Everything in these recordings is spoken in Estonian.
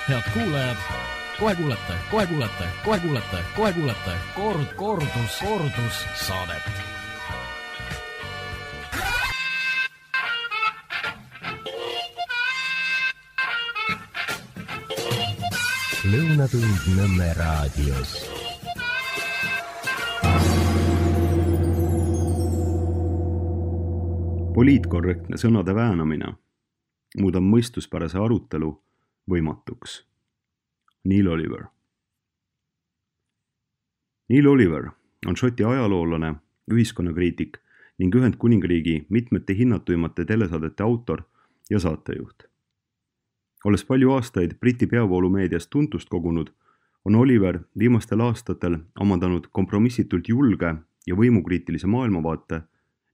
Head kuulajad, kohe kuulete kordussaadet. Lõunatund Nõmme raadios. Poliitkorrektne sõnade väänamine muudab mõistuspärase arutelu võimatuks. Neil Oliver. Neil Oliver on Šoti ajaloolane, ühiskonnakriitik ning Ühendkuningriigi mitmete hinnatuimate telesaadete autor ja saatejuht. Olles palju aastaid Briti peavoolumeedias tuntust kogunud, on Oliver viimastel aastatel omandanud kompromissitult julge ja võimukriitilise maailmavaate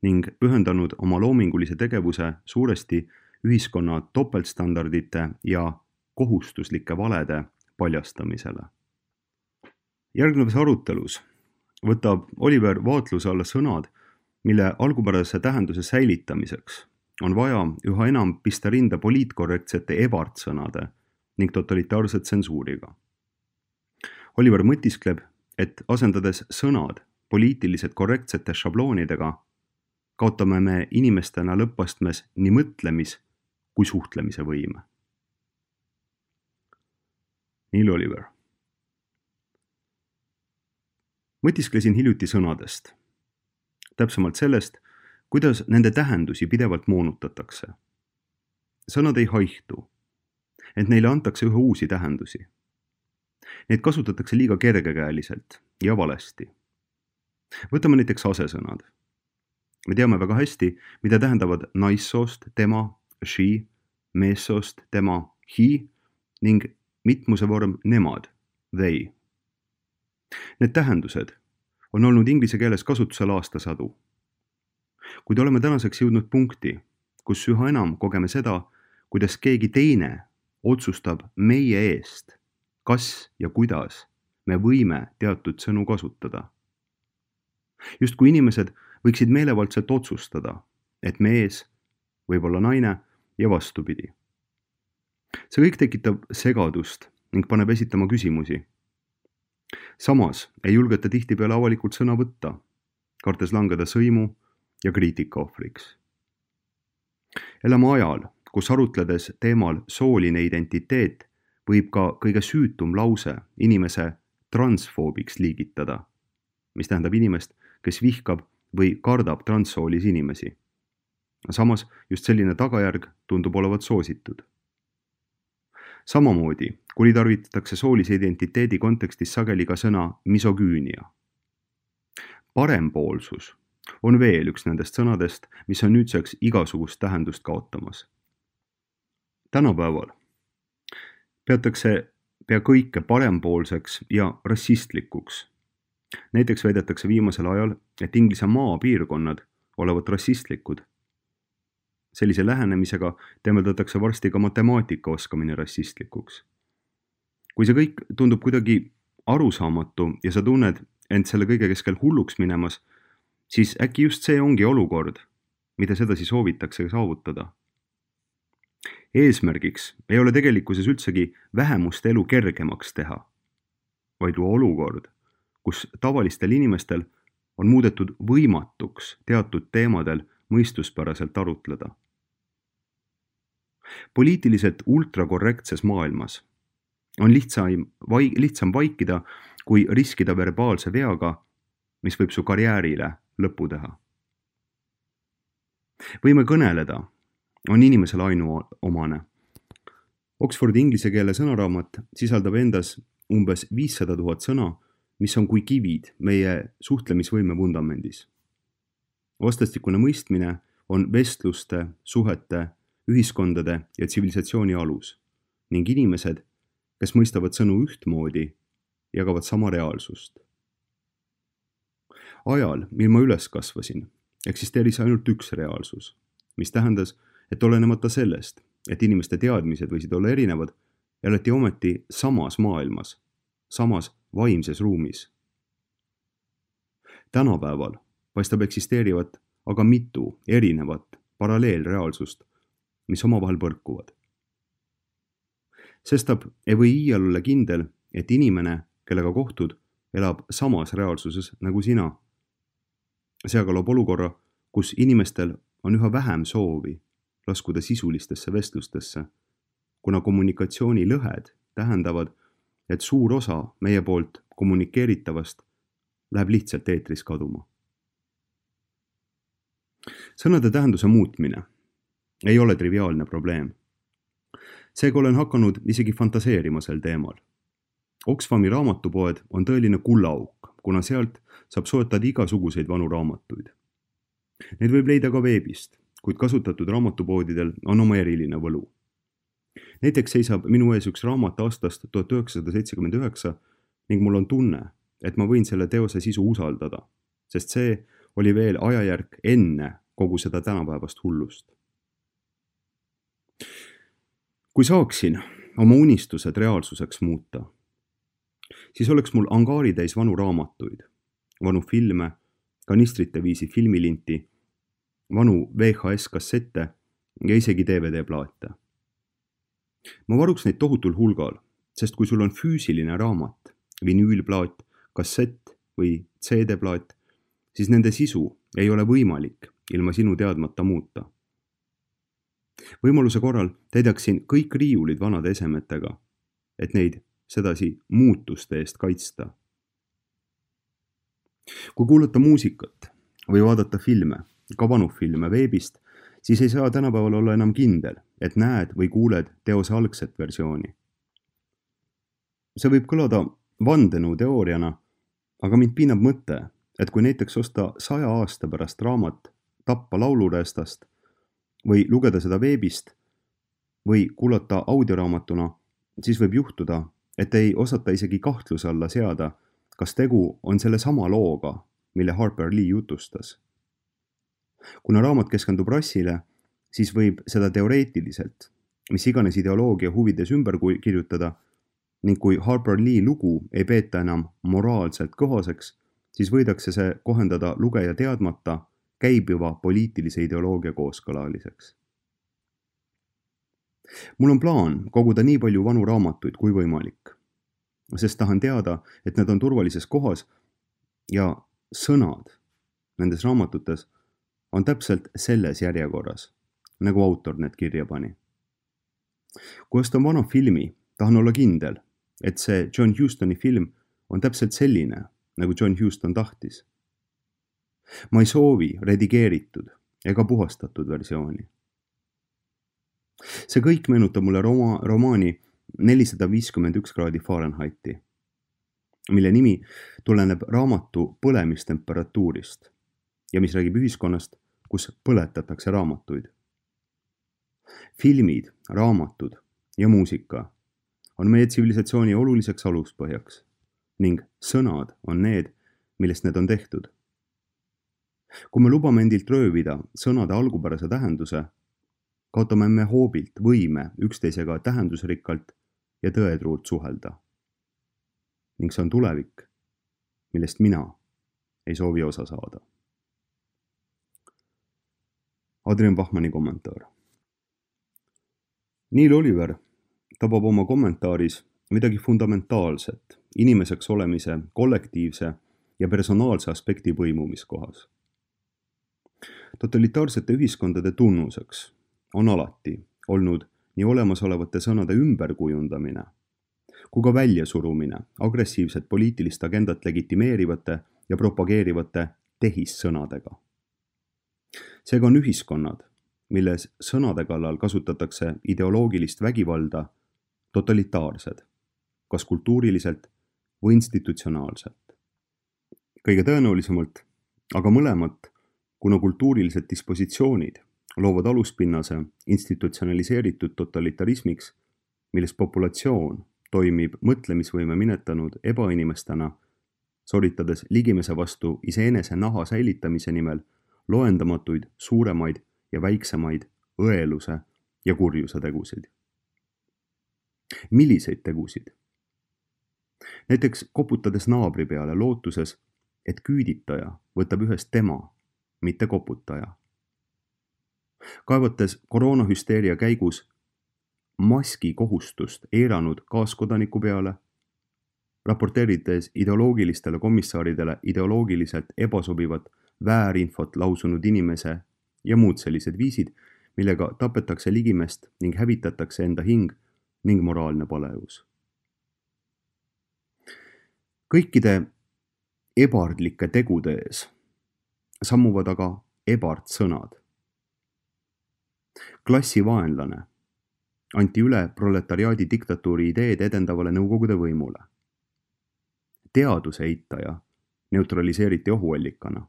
ning pühendanud oma loomingulise tegevuse suuresti ühiskonna topeltstandardite ja kohustuslike valede paljastamisele. Järgnevas arutelus võtab Oliver vaatluse alla sõnad, mille algupärase tähenduse säilitamiseks on vaja üha enam pista rinda poliitkorrektsete ebardsõnade ning totalitaarse tsensuuriga. Oliver mõtiskleb, et asendades sõnad poliitiliselt korrektsete šabloonidega, kaotame me inimestena lõppastmes nii mõtlemis- kui suhtlemise võime. Neil Oliver. Mõtisklesin hiljuti sõnadest. Täpsemalt sellest, kuidas nende tähendusi pidevalt moonutatakse. Sõnad ei haihtu, ent neile antakse üha uusi tähendusi. Neid kasutatakse liiga kergekäeliselt ja valesti. Võtame näiteks asesõnad. Me teame väga hästi, mida tähendavad naissoost tema, she, meessoost tema, he ning mitmuse vorm nemad, they. Need tähendused on olnud inglise keeles kasutusel aastasadu. Kuid oleme tänaseks jõudnud punkti, kus üha enam kogeme seda, kuidas keegi teine otsustab meie eest, kas ja kuidas me võime teatud sõnu kasutada. Just kui inimesed võiksid meelevaldselt otsustada, et mees võib olla naine ja vastupidi. See kõik tekitab segadust ning paneb esitama küsimusi. Samas ei julgeta tihtipeale avalikult sõna võtta, kartes langeda sõimu ja kriitika ohvriks. Elame ajal, kus arutledes teemal sooline identiteet võib ka kõige süütum lause inimese transfoobiks liigitada, mis tähendab inimest, kes vihkab või kardab transsoolis inimesi. Samas just selline tagajärg tundub olevat soositud. Samamoodi kuritarvitatakse soolise identiteedi kontekstis sageli ka sõna misogüünia. Parempoolsus on veel üks nendest sõnadest, mis on nüüdseks igasugust tähendust kaotamas. Tänapäeval peatakse pea kõike parempoolseks ja rassistlikuks. Näiteks väidetakse viimasel ajal, et Inglise maapiirkonnad olevat rassistlikud. Sellise lähenemisega temeldatakse varsti ka matemaatika oskamine rassistlikuks. Kui see kõik tundub kuidagi arusaamatu ja sa tunned end selle kõige keskel hulluks minemas, siis äkki just see ongi olukord, mida sedasi soovitakse saavutada. Eesmärgiks ei ole tegelikkuses üldsegi vähemuste elu kergemaks teha, vaid luua olukord, kus tavalistel inimestel on muudetud võimatuks teatud teemadel mõistuspäraselt arutleda. Poliitiliselt ultrakorrektses maailmas on lihtsam vaikida, kui riskida verbaalse veaga, mis võib su karjäärile lõpu teha. Võime kõneleda on inimesele ainuomane. Oxfordi inglise keele sõnaraamat sisaldab endas umbes 500 000 sõna, mis on kui kivid meie suhtlemisvõime vundamendis. Vastastikune mõistmine on vestluste, suhete, ühiskondade ja tsivilisatsiooni alus ning inimesed, kes mõistavad sõnu ühtmoodi, jagavad sama reaalsust. Ajal, mil ma üles kasvasin, eksisteeris ainult üks reaalsus, mis tähendas, et olenemata sellest, et inimeste teadmised võisid olla erinevad, elati ometi samas maailmas, samas vaimses ruumis. Tänapäeval paistab eksisteerivat aga mitu erinevat paralleelreaalsust, mis omavahel põrkuvad. Sestap ei või iial olla kindel, et inimene, kellega kohtud, elab samas reaalsuses nagu sina. See aga loob olukorra, kus inimestel on üha vähem soovi laskuda sisulistesse vestlustesse, kuna kommunikatsioonilõhed tähendavad, et suur osa meie poolt kommunikeeritavast läheb lihtsalt eetris kaduma. Sõnade tähenduse muutmine ei ole triviaalne probleem. Seega olen hakanud isegi fantaseerima sel teemal. Oxfami raamatupoed on tõeline kullaauk, kuna sealt saab soetada igasuguseid vanu raamatuid. Neid võib leida ka veebist, kuid kasutatud raamatupoodidel on oma eriline võlu. Näiteks seisab minu ees üks raamat aastast 1979 ning mul on tunne, et ma võin selle teose sisu usaldada, sest see oli veel ajajärk enne kogu seda tänapäevast hullust. Kui saaksin oma unistused reaalsuseks muuta, siis oleks mul angaaritäis vanu raamatuid, vanu filme, kanistrite viisi filmilinti, vanu VHS-kassette ja isegi DVD-plaate. Ma varuks neid tohutul hulgal, sest kui sul on füüsiline raamat, vinüülplaat, kassett või CD-plaat, siis nende sisu ei ole võimalik ilma sinu teadmata muuta. Võimaluse korral täidaksin kõik riiulid vanade esemetega, et neid sedasi muutuste eest kaitsta. Kui kuulata muusikat või vaadata filme, ka vanu filme veebist, siis ei saa tänapäeval olla enam kindel, et näed või kuuled teose algset versiooni. See võib kõlada vandenõuteooriana, aga mind piinab mõte, et kui näiteks osta 100 aasta pärast raamat Tappa laulureestast või lugeda seda veebist või kuulata audioraamatuna, siis võib juhtuda, et ei osata isegi kahtluse alla seada, kas tegu on selle sama looga, mille Harper Lee jutustas. Kuna raamat keskendub rassile, siis võib seda teoreetiliselt, mis iganes ideoloogia huvides ümber kirjutada, ning kui Harper Lee lugu ei peeta enam moraalselt kohaseks, siis võidakse see kohendada lugeja teadmata käibiva poliitilise ideoloogia kooskõlaliseks. Mul on plaan koguda nii palju vanu raamatuid kui võimalik, sest tahan teada, et need on turvalises kohas ja sõnad nendes raamatutes on täpselt selles järjekorras, nagu autor need kirja pani. Kui ostan vana filmi, tahan olla kindel, et see John Hustoni film on täpselt selline, nagu John Huston tahtis. Ma ei soovi redigeeritud ega puhastatud versiooni. See kõik meenutab mulle romaani 451 kraadi Fahrenheiti, mille nimi tuleneb raamatu põlemistemperatuurist ja mis räägib ühiskonnast, kus põletatakse raamatuid. Filmid, raamatud ja muusika on meie tsivilisatsiooni oluliseks aluspõhjaks ning sõnad on need, millest need on tehtud. Kui me lubame endilt röövida sõnade algupärase tähenduse, kaotame me hoobilt võime üksteisega tähendusrikkalt ja tõetruult suhelda. Ning see on tulevik, millest mina ei soovi osa saada. Adrian Bachmanni kommentaar. Neil Oliver tabab oma kommentaaris midagi fundamentaalset inimeseks olemise kollektiivse ja personaalse aspekti põimumiskohas. Totalitaarsete ühiskondade tunnuseks on alati olnud nii olemasolevate sõnade ümberkujundamine kui ka väljasurumine agressiivset poliitilist agendat legitimeerivate ja propageerivate tehissõnadega. Seega on ühiskonnad, milles sõnade kallal kasutatakse ideoloogilist vägivalda, totalitaarsed, kas kultuuriliselt või institutsionaalselt. Kõige tõenäolisemalt, aga mõlemat, kuna kultuurilised dispositsioonid loovad aluspinnase institutsionaliseeritud totalitarismiks, milles populatsioon toimib mõtlemisvõime minetanud ebainimestena, soritades ligimese vastu iseenese naha säilitamise nimel loendamatuid, suuremaid ja väiksemaid õeluse ja kurjuse tegusid. Milliseid tegusid? Näiteks koputades naabri peale lootuses, et küüditaja võtab ühest tema, mitte koputaja. Kaevates koroonahüsteeria käigus maski kohustust eiranud kaaskodaniku peale, raporteerides ideoloogilistele komissaaridele ideoloogiliselt ebasobivat väärinfot lausunud inimese ja muud sellised viisid, millega tapetakse ligimest ning hävitatakse enda hing ning moraalne palevus. Kõikide ebardlike tegude ees sammuvad aga ebard sõnad. Klassivaenlane anti üle proletariaadi diktatuuri ideed edendavale Nõukogude võimule. Teaduse eitaja neutraliseeriti ohuallikana.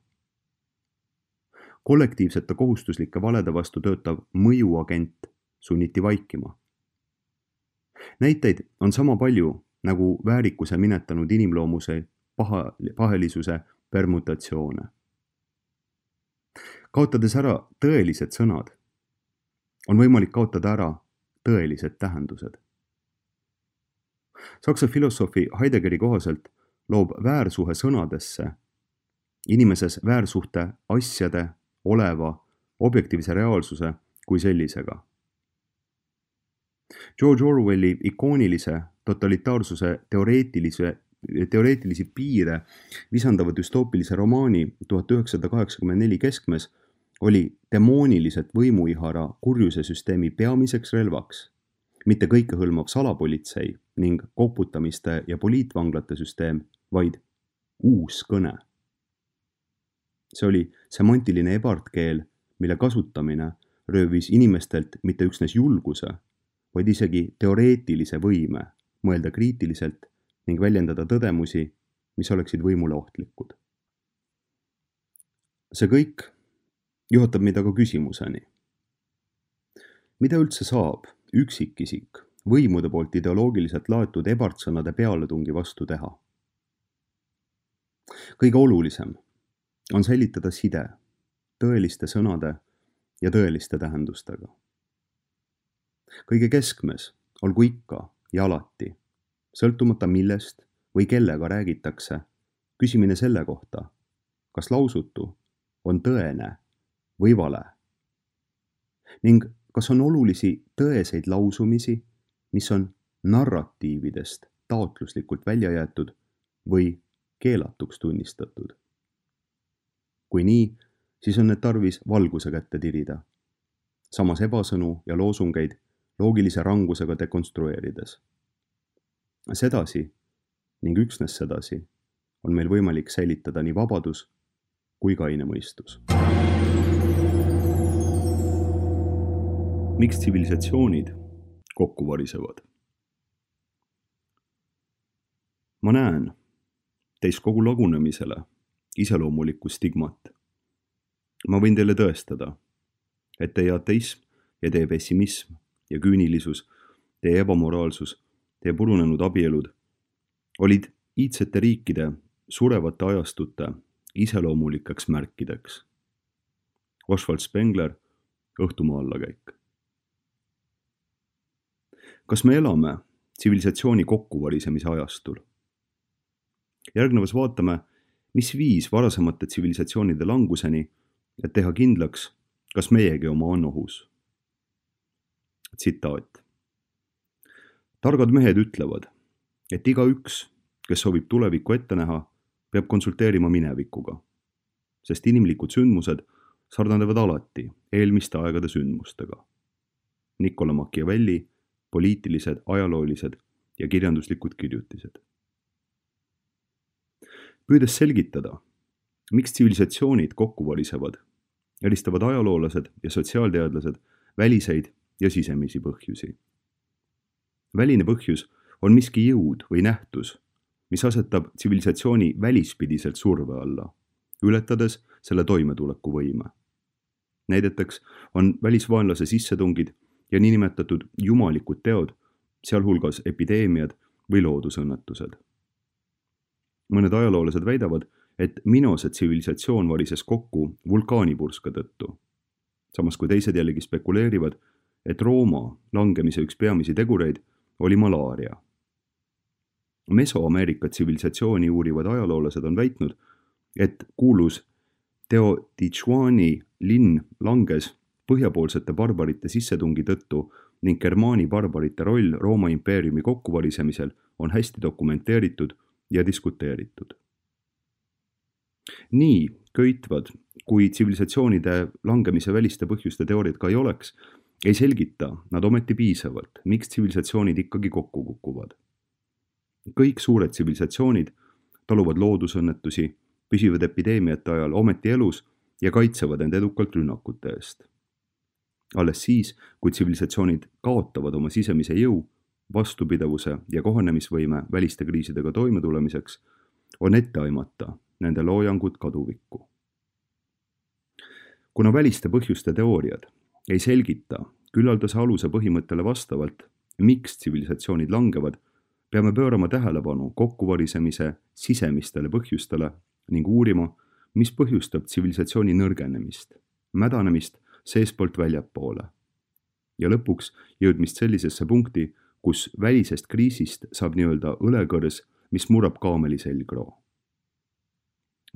Kollektiivsete kohustuslike valede vastu töötav mõjuagent sunniti vaikima. Näiteid on sama palju nagu väärikuse minetanud inimloomuse pahelisuse permutatsioone. Kaotades ära tõelised sõnad, on võimalik kaotada ära tõelised tähendused. Saksa filosoofi Heideggeri kohaselt loob väärsuhe sõnadesse inimeses väärsuhte asjade, oleva, objektiivse reaalsuse kui sellisega. George Orwelli ikoonilise totalitaarsuse teoreetilisi piire visandava düstoopilise romaani 1984 keskmes oli demooniliselt võimuihara kurjuse süsteemi peamiseks relvaks, mitte kõikehõlmav salapolitsei ning koputamiste ja poliitvanglate süsteem, vaid uus kõne. See oli semantiline ebardkeel, mille kasutamine röövis inimestelt mitte üksnes julguse, vaid isegi teoreetilise võime mõelda kriitiliselt ning väljendada tõdemusi, mis oleksid võimule ohtlikud. See kõik juhatab meid aga küsimuseni. Mida üldse saab üksikisik võimude poolt ideoloogiliselt laetud ebardsõnade pealetungi vastu teha? Kõige olulisem on säilitada side tõeliste sõnade ja tõeliste tähendustega. Kõige keskmes olgu ikka ja alati, sõltumata millest või kellega räägitakse, küsimine selle kohta, kas lausutu on tõene või vale ning kas on olulisi tõeseid lausumisi, mis on narratiividest taotluslikult välja jäetud või keelatuks tunnistatud. Kui nii, siis on need tarvis valguse kätte tirida, samas ebasõnu ja loosungeid loogilise rangusega dekonstrueerides. Sedasi ning üksnes sedasi on meil võimalik säilitada nii vabadus kui kaine mõistus. Miks tsivilisatsioonid kokku varisevad? Ma näen teis kogu lagunemisele iseloomulikku stigmat. Ma võin teile tõestada, et teie ateism ja teie pessimism ja küünilisus, teie ebamoraalsus, teie purunenud abielud olid iidsete riikide surevate ajastute iseloomulikeks märkideks. Oswald Spengler, Õhtumaa allakäik. Kas me elame tsivilisatsiooni kokkuvarisemise ajastul? Järgnevas vaatame, mis viis varasemate tsivilisatsioonide languseni, et teha kindlaks, kas meiegi oma on ohus. Tsitaat. Targad mehed ütlevad, et igaüks, kes soovib tulevikku ette näha, peab konsulteerima minevikuga, sest inimlikud sündmused sarnanevad alati eelmiste aegade sündmustega. Nicolas Machiavelli, poliitilised, ajaloolised ja kirjanduslikud kirjutised. Püüdes selgitada, miks tsivilisatsioonid kokku varisevad, eristavad ajaloolased ja sotsiaalteadlased väliseid ja sisemisi põhjusi. Väline põhjus on miski jõud või nähtus, mis asetab tsivilisatsiooni välispidiselt surve alla, ületades selle toimetuleku võime. Näideteks on välisvaenlase sissetungid ja niinimetatud jumalikud teod, sealhulgas epideemiad või loodusõnnetused. Mõned ajaloolased väidavad, et Minose tsivilisatsioon varises kokku vulkaanipurska tõttu, samas kui teised jällegi spekuleerivad, et Rooma langemise üks peamisi tegureid oli malaaria. Mesoameerika tsivilisatsiooni uurivad ajaloolased on väitnud, et kuulus Teotihuacani linn langes põhjapoolsete barbarite sissetungi tõttu ning Germaani barbarite roll Rooma impeeriumi kokkuvarisemisel on hästi dokumenteeritud ja diskuteeritud. Nii köitvad, kui tsivilisatsioonide langemise väliste põhjuste teooriad ka ei oleks, ei selgita nad ometi piisavalt, miks tsivilisatsioonid ikkagi kokku kukuvad. Kõik suured tsivilisatsioonid taluvad loodusõnnetusi, püsivad epideemiate ajal ometi elus ja kaitsevad end edukalt rünnakute eest. Alles siis, kui tsivilisatsioonid kaotavad oma sisemise jõu, vastupidavuse ja kohanemisvõime väliste kriisidega toimetulemiseks, on ette aimata nende loojangud kaduvikku. Kuna väliste põhjuste teooriad ei selgita küllaldase aluse põhimõttele vastavalt, miks tsivilisatsioonid langevad, peame pöörama tähelepanu kokkuvarisemise sisemistele põhjustele ning uurima, mis põhjustab tsivilisatsiooni nõrgenemist, mädanemist seespoolt väljapoole ja lõpuks jõudmist sellisesse punkti, kus välisest kriisist saab nii-öelda õlekõrs, mis murrab kaameli selgroo.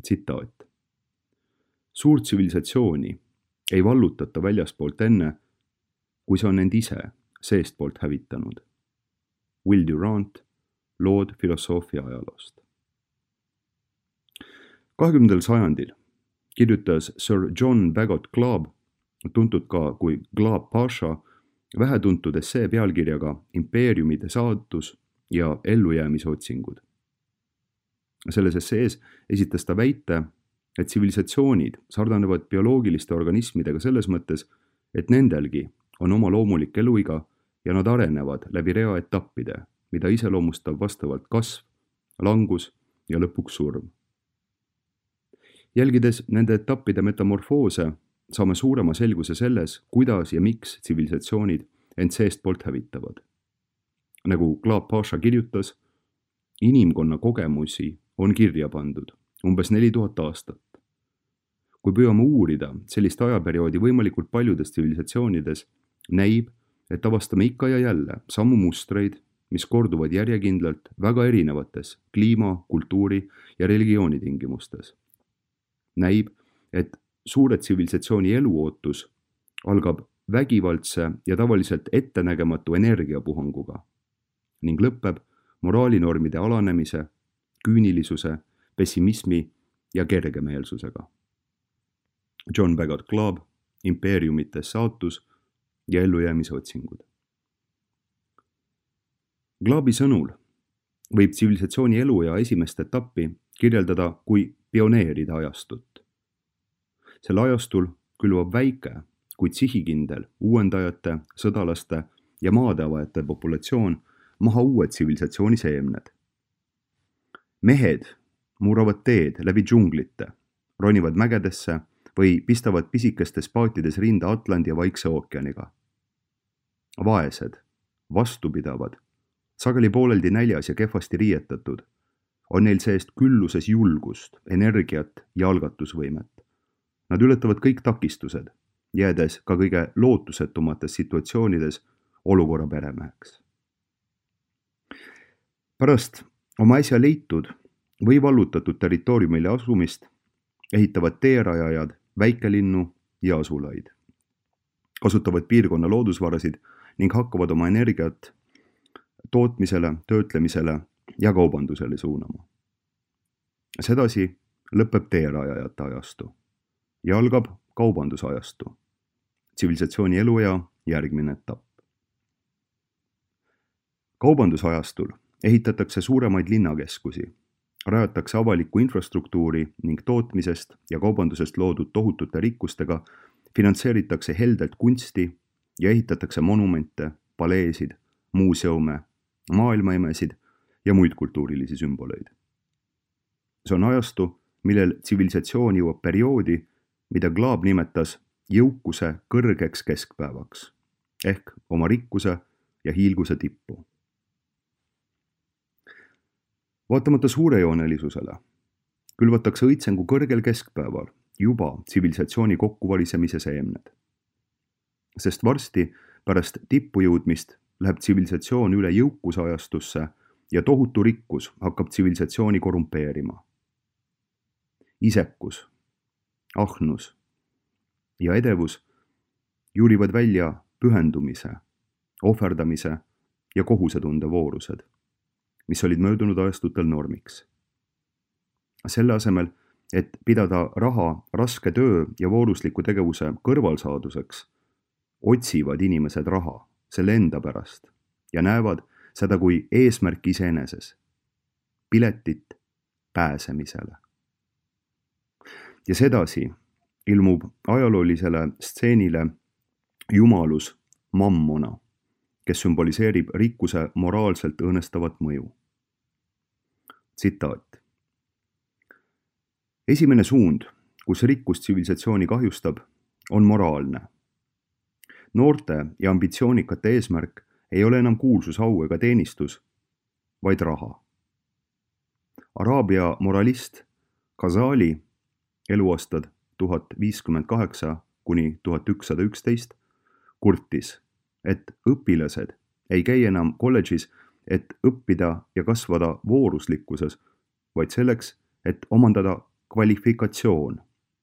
Tsitaat. Suurt tsivilisatsiooni ei vallutata väljaspoolt enne, kui see on end ise seestpoolt hävitanud. Will Durant, Lood filosoofia ajaloost. 20. sajandil kirjutas Sir John Bagot Glaab, tuntud ka kui Glaab Pasha, vähetuntud essee pealkirjaga Impeeriumide saatus ja ellujäämise otsingud. Selles essees esitas ta väite, et tsivilisatsioonid sarnanevad bioloogiliste organismidega selles mõttes, et nendelgi on oma loomulik eluiga ja nad arenevad läbi rea etappide, mida iseloomustab vastavalt kasv, langus ja lõpuks surm. Jälgides nende etappide metamorfoose, saame suurema selguse selles, kuidas ja miks tsivilisatsioonid end seestpoolt hävitavad. Nagu Glaab Pasha kirjutas, inimkonna kogemusi on kirja pandud umbes 4000 aastat. Kui püüame uurida sellist ajaperioodi võimalikult paljudes tsivilisatsioonides, näib, et avastame ikka ja jälle samu mustreid, mis korduvad järjekindlalt väga erinevates kliima, kultuuri ja religiooni tingimustes. Näib, et suure tsivilisatsiooni eluootus algab vägivaldse ja tavaliselt ettenägematu energiapuhanguga ning lõpeb moraalinormide alanemise, küünilisuse, pessimismi ja kergemeelsusega. John Bagot Glaab, Impeeriumite saatus ja ellujäämise otsingud. Glaabi sõnul võib tsivilisatsiooni eluea esimest etappi kirjeldada kui pioneeride ajastut. Selle ajastul külvab väike, kuid sihikindel uuendajate, sõdalaste ja maadeavajate populatsioon maha uue tsivilisatsiooni seemned. Mehed muravad teed läbi džunglite, ronivad mägedesse või pistavad pisikestes paatides rinda Atlandi ja Vaikse ookeaniga. Vaesed, vastupidavad, sageli pooleldi näljas ja kehvasti riietatud, on neil seest külluses julgust, energiat ja algatusvõimet. Nad ületavad kõik takistused, jäädes ka kõige lootusetumates situatsioonides olukorra peremeheks. Pärast oma äsja leitud või vallutatud territooriumile asumist ehitavad teerajajad väikelinnu ja asulaid, kasutavad piirkonna loodusvarasid ning hakkavad oma energiat tootmisele, töötlemisele ja kaubandusele suunama. Sedasi lõpeb teerajajate ajastu ja algab kaubandusajastu, tsivilisatsiooni eluea järgmine etapp. Kaubandusajastul ehitatakse suuremaid linnakeskusi, rajatakse avalikku infrastruktuuri ning tootmisest ja kaubandusest loodud tohutute rikkustega finantseeritakse heldelt kunsti ja ehitatakse monumente, paleesid, muuseume, maailmaimesid ja muid kultuurilisi sümboleid. See on ajastu, millel tsivilisatsioon jõuab perioodi, mida Glaab nimetas jõukuse kõrgeks keskpäevaks ehk oma rikkuse ja hiilguse tippu. Vaatamata suurejoonelisusele külvatakse õitsengu kõrgel keskpäeval juba tsivilisatsiooni kokkuvarisemise seemned. Sest varsti pärast tippu jõudmist läheb tsivilisatsioon üle jõukusajastusse ja tohutu rikkus hakkab tsivilisatsiooni korrumpeerima. Isekus, ahnus ja edevus juurivad välja pühendumise ohverdamise ja kohusetunde voorused, mis olid möödunud ajastutel normiks. Selle asemel, et pidada raha raske töö ja voorusliku tegevuse kõrvalsaaduseks, otsivad inimesed raha selle enda pärast ja näevad seda kui eesmärk iseeneses, piletit pääsemisele. Ja sedasi ilmub ajaloolisele stseenile jumalus Mammona, kes sümboliseerib rikkuse moraalselt õõnestavat mõju. Tsitaat. Esimene suund, kus rikkus tsivilisatsiooni kahjustab, on moraalne. Noorte ja ambitsioonikate eesmärk ei ole enam kuulsus, au ega teenistus, vaid raha. Araabia moralist Ghazali eluaastad 1058 kuni 1111 kurtis, et õpilased ei käi enam kolledžis, et õppida ja kasvada vooruslikkuses, vaid selleks, et omandada kvalifikatsioon,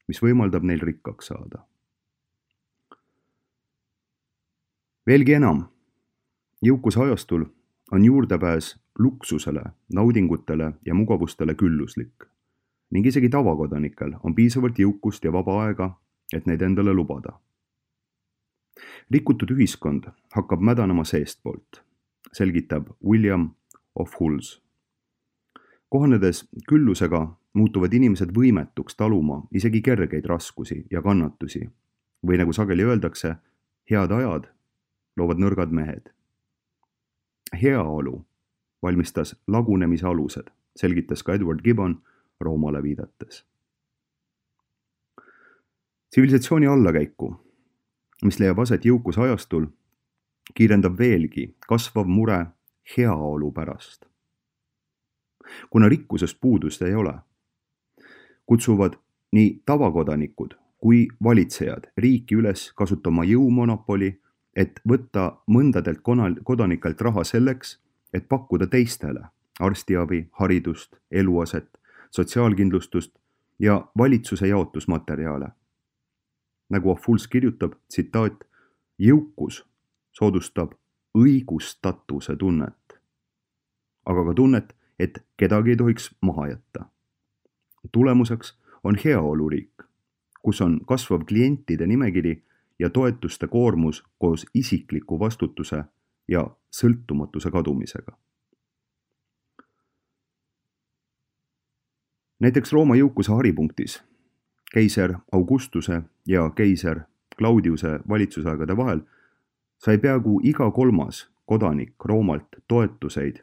mis võimaldab neil rikkaks saada. Veelgi enam, jõukuse ajastul on juurdepääs luksusele, naudingutele ja mugavustele külluslik ning isegi tavakodanikel on piisavalt jõukust ja vaba aega, et neid endale lubada. Rikutud ühiskond hakkab mädanema seestpoolt, selgitab William of Hulls. Kohanedes küllusega muutuvad inimesed võimetuks taluma isegi kergeid raskusi ja kannatusi või nagu sageli öeldakse, head ajad loovad nõrgad mehed. Heaolu valmistas lagunemise alused, selgitas ka Edward Gibbon Roomale viidates. Tsivilisatsiooni allakäiku, mis leiab aset jõukuse ajastul, kiirendab veelgi kasvav mure heaolu pärast. Kuna rikkusest puudust ei ole, kutsuvad nii tavakodanikud kui valitsejad riiki üles kasutama jõumonopoli, et võtta mõndadelt kodanikelt raha selleks, et pakkuda teistele arstiabi, haridust, eluaset, sotsiaalkindlustust ja valitsuse jaotusmaterjale. Nagu Afuls kirjutab, tsitaat, jõukus soodustab õigustatuse tunnet, aga ka tunnet, et kedagi ei tohiks maha jätta. Tulemuseks on heaoluriik, kus on kasvav klientide nimekiri ja toetuste koormus koos isikliku vastutuse ja sõltumatuse kadumisega. Näiteks Rooma jõukuse haripunktis keiser Augustuse ja keiser Claudiuse valitsusaegade vahel sai peaaegu iga kolmas kodanik Roomalt toetuseid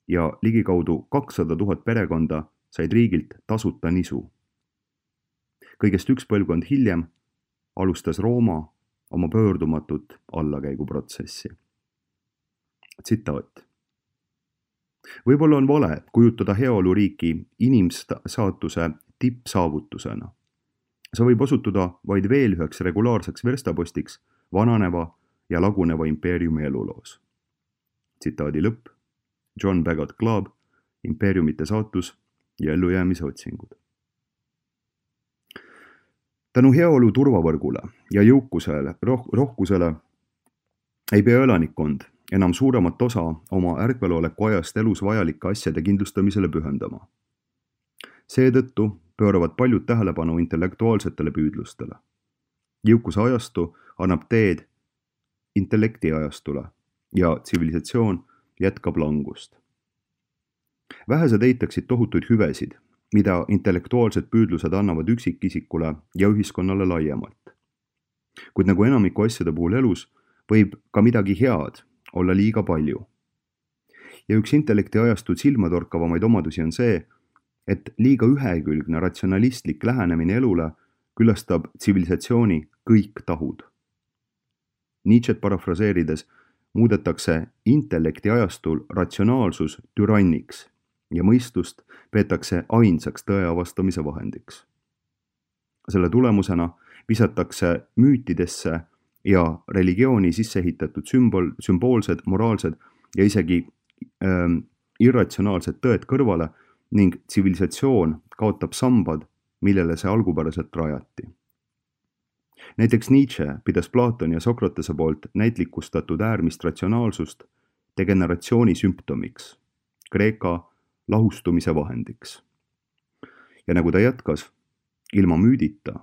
ja ligikaudu 200 000 perekonda said riigilt tasuta nisu. Kõigest üks põlvkond hiljem alustas Rooma oma pöördumatut allakäiguprotsessi. Tsitaat. Võib-olla on vale kujutada heaoluriiki inimsaatuse tippsaavutusena. See võib osutuda vaid veel üheks regulaarseks verstapostiks vananeva ja laguneva impeeriumi eluloos. Tsitaadi lõpp. John Bagot Club, impeeriumite saatus ja ellujäämise otsingud. Tänu heaolu turvavõrgule ja jõukusele, rohkusele ei pea elanikkond enam suuremat osa oma ärkveloleku ajast elus vajalike asjade kindlustamisele pühendama. Seetõttu pööravad paljud tähelepanu intellektuaalsetele püüdlustele. Jõukuse ajastu annab teed intellekti ajastule ja tsivilisatsioon jätkab langust. Vähesed eitaksid tohutuid hüvesid, mida intellektuaalsed püüdlused annavad üksikisikule ja ühiskonnale laiemalt. Kuid nagu enamiku asjade puhul elus, võib ka midagi head olla liiga palju. Ja üks intellekti ajastud silmatorkavamaid omadusi on see, et liiga ühekülgne ratsionalistlik lähenemine elule külastab tsivilisatsiooni kõik tahud. Nietzschet parafraseerides muudetakse intellekti ajastul ratsionaalsus türanniks ja mõistust peetakse ainsaks tõe avastamise vahendiks. Selle tulemusena visatakse müütidesse ja religiooni sisseehitatud sümboolsed, moraalsed ja isegi irratsionaalsed tõed kõrvale ning tsivilisatsioon kaotab sambad, millele see algupäraselt rajati. Näiteks Nietzsche pidas Platoni ja Sokratese poolt näitlikustatud äärmist ratsionaalsust degeneratsiooni sümptomiks, Kreeka lahustumise vahendiks. Ja nagu ta jätkas, ilma müüdita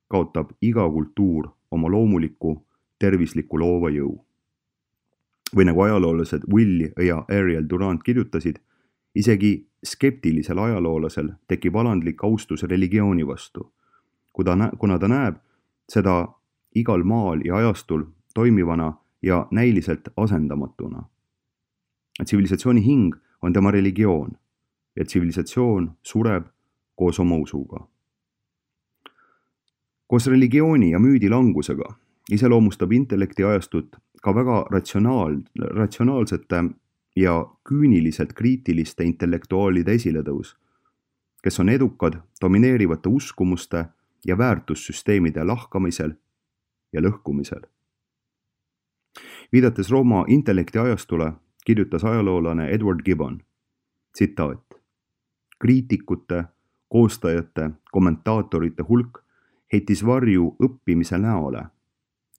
kaotab iga kultuur oma loomuliku tervisliku loova jõu. Või nagu ajaloolased Will ja Ariel Durant kirjutasid, isegi skeptilisel ajaloolasel tekib alandlik austus religiooni vastu, kuna ta näeb seda igal maal ja ajastul toimivana ja näiliselt asendamatuna. Tsivilisatsiooni hing on tema religioon ja tsivilisatsioon sureb koos oma usuga. Koos religiooni ja müüdi langusega iseloomustab intellekti ajastut ka väga ratsionaalsete ja küüniliselt kriitiliste intellektuaalide esiletõus, kes on edukad domineerivate uskumuste ja väärtussüsteemide lahkamisel ja lõhkumisel. Viidates Rooma intellekti ajastule, kirjutas ajaloolane Edward Gibbon, tsitaat: kriitikute, koostajate, kommentaatorite hulk heitis varju õppimise näole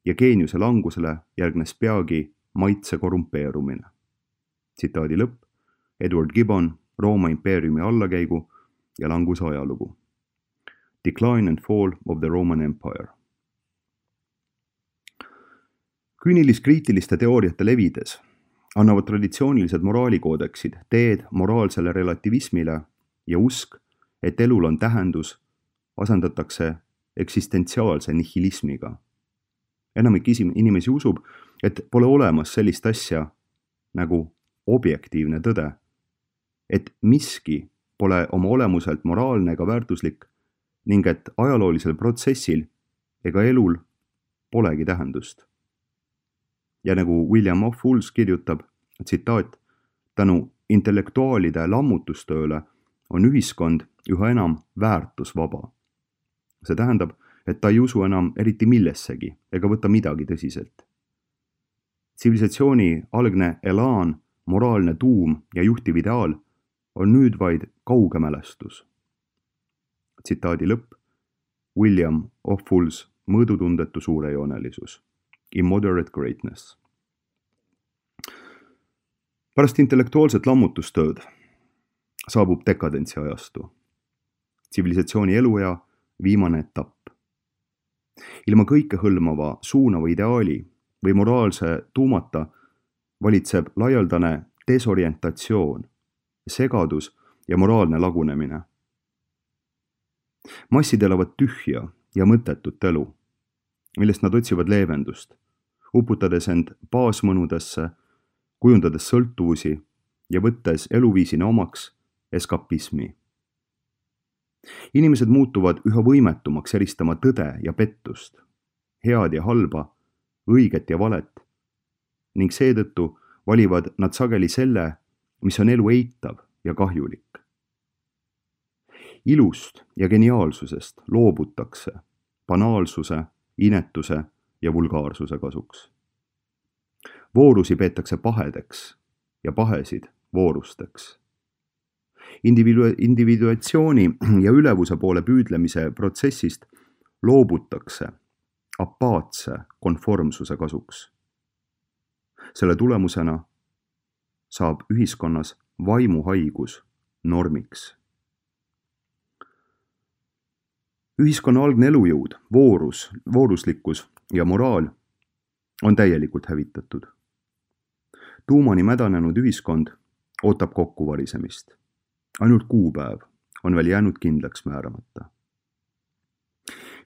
ja geeniuse langusele järgnes peagi maitse korrumpeerumine. Tsitaadi lõpp, Edward Gibbon, Rooma impeeriumi allakäigu ja languse ajalugu. Decline and Fall of the Roman Empire. Küünilis-kriitiliste teooriate levides annavad traditsioonilised moraalikoodeksid teed moraalsele relativismile ja usk, et elul on tähendus, asendatakse eksistentsiaalse nihilismiga. Enamik inimesi usub, et pole olemas sellist asja nagu objektiivne tõde, et miski pole oma olemuselt moraalne ega väärtuslik ning et ajaloolisel protsessil ega elul polegi tähendust. Ja nagu William of Fools kirjutab, tsitaat, tänu intellektuaalide lammutustööle on ühiskond üha enam väärtusvaba. See tähendab, et ta ei usu enam eriti millessegi ega võta midagi tõsiselt. Tsivilisatsiooni algne elaan, moraalne tuum ja juhtiv ideaal on nüüd vaid kauge mälestus. Tsitaadi lõpp, William of Fools, mõõdutundetu suurejoonelisus, immoderate greatness. Pärast intellektuaalset lammutustööd saabub dekadentsi ajastu, tsivilisatsiooni eluea viimane etapp. Ilma kõikehõlmava suunava ideaali või moraalse tuumata valitseb laialdane desorientatsioon, segadus ja moraalne lagunemine. Massid elavad tühja ja mõttetut elu, millest nad otsivad leevendust, uputades end baasmõnudesse, kujundades sõltuvusi ja võttes eluviisina omaks eskapismi. Inimesed muutuvad üha võimetumaks eristama tõde ja pettust, head ja halba, õiget ja valet, ning seetõttu valivad nad sageli selle, mis on elu eitav ja kahjulik. Ilust ja geniaalsusest loobutakse banaalsuse, inetuse ja vulgaarsuse kasuks. Voorusi peetakse pahedeks ja pahesid voorusteks. Individuatsiooni ja ülevuse poole püüdlemise protsessist loobutakse apaatse konformsuse kasuks. Selle tulemusena saab ühiskonnas vaimuhaigus normiks. Ühiskonna algne elujõud, vooruslikkus ja moraal on täielikult hävitatud. Tuumani mädanenud ühiskond ootab kokkuvarisemist. Ainult kuupäev on veel jäänud kindlaks määramata.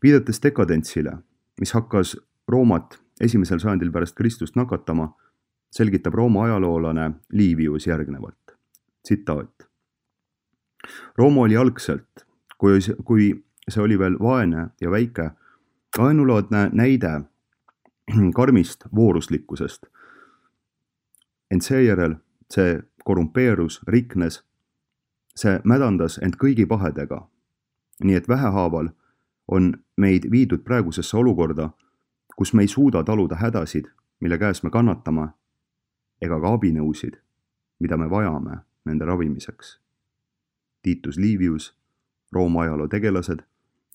Viidates dekadentsile, mis hakkas Roomat 1. sajandil pärast Kristust nakatama, selgitab Rooma ajaloolane Livius järgnevalt. Tsitaat. Rooma oli algselt, kui see oli veel vaene ja väike, ainulaadne näide karmist vooruslikkusest. Ent seejärel see korrumpeerus, riknes, see mädandas end kõigi pahedega, nii et vähehaaval on meid viidud praegusesse olukorda, kus me ei suuda taluda hädasid, mille käes me kannatame, ega ka abinõusid, mida me vajame nende ravimiseks. Titus Livius, Rooma ajaloo tegelased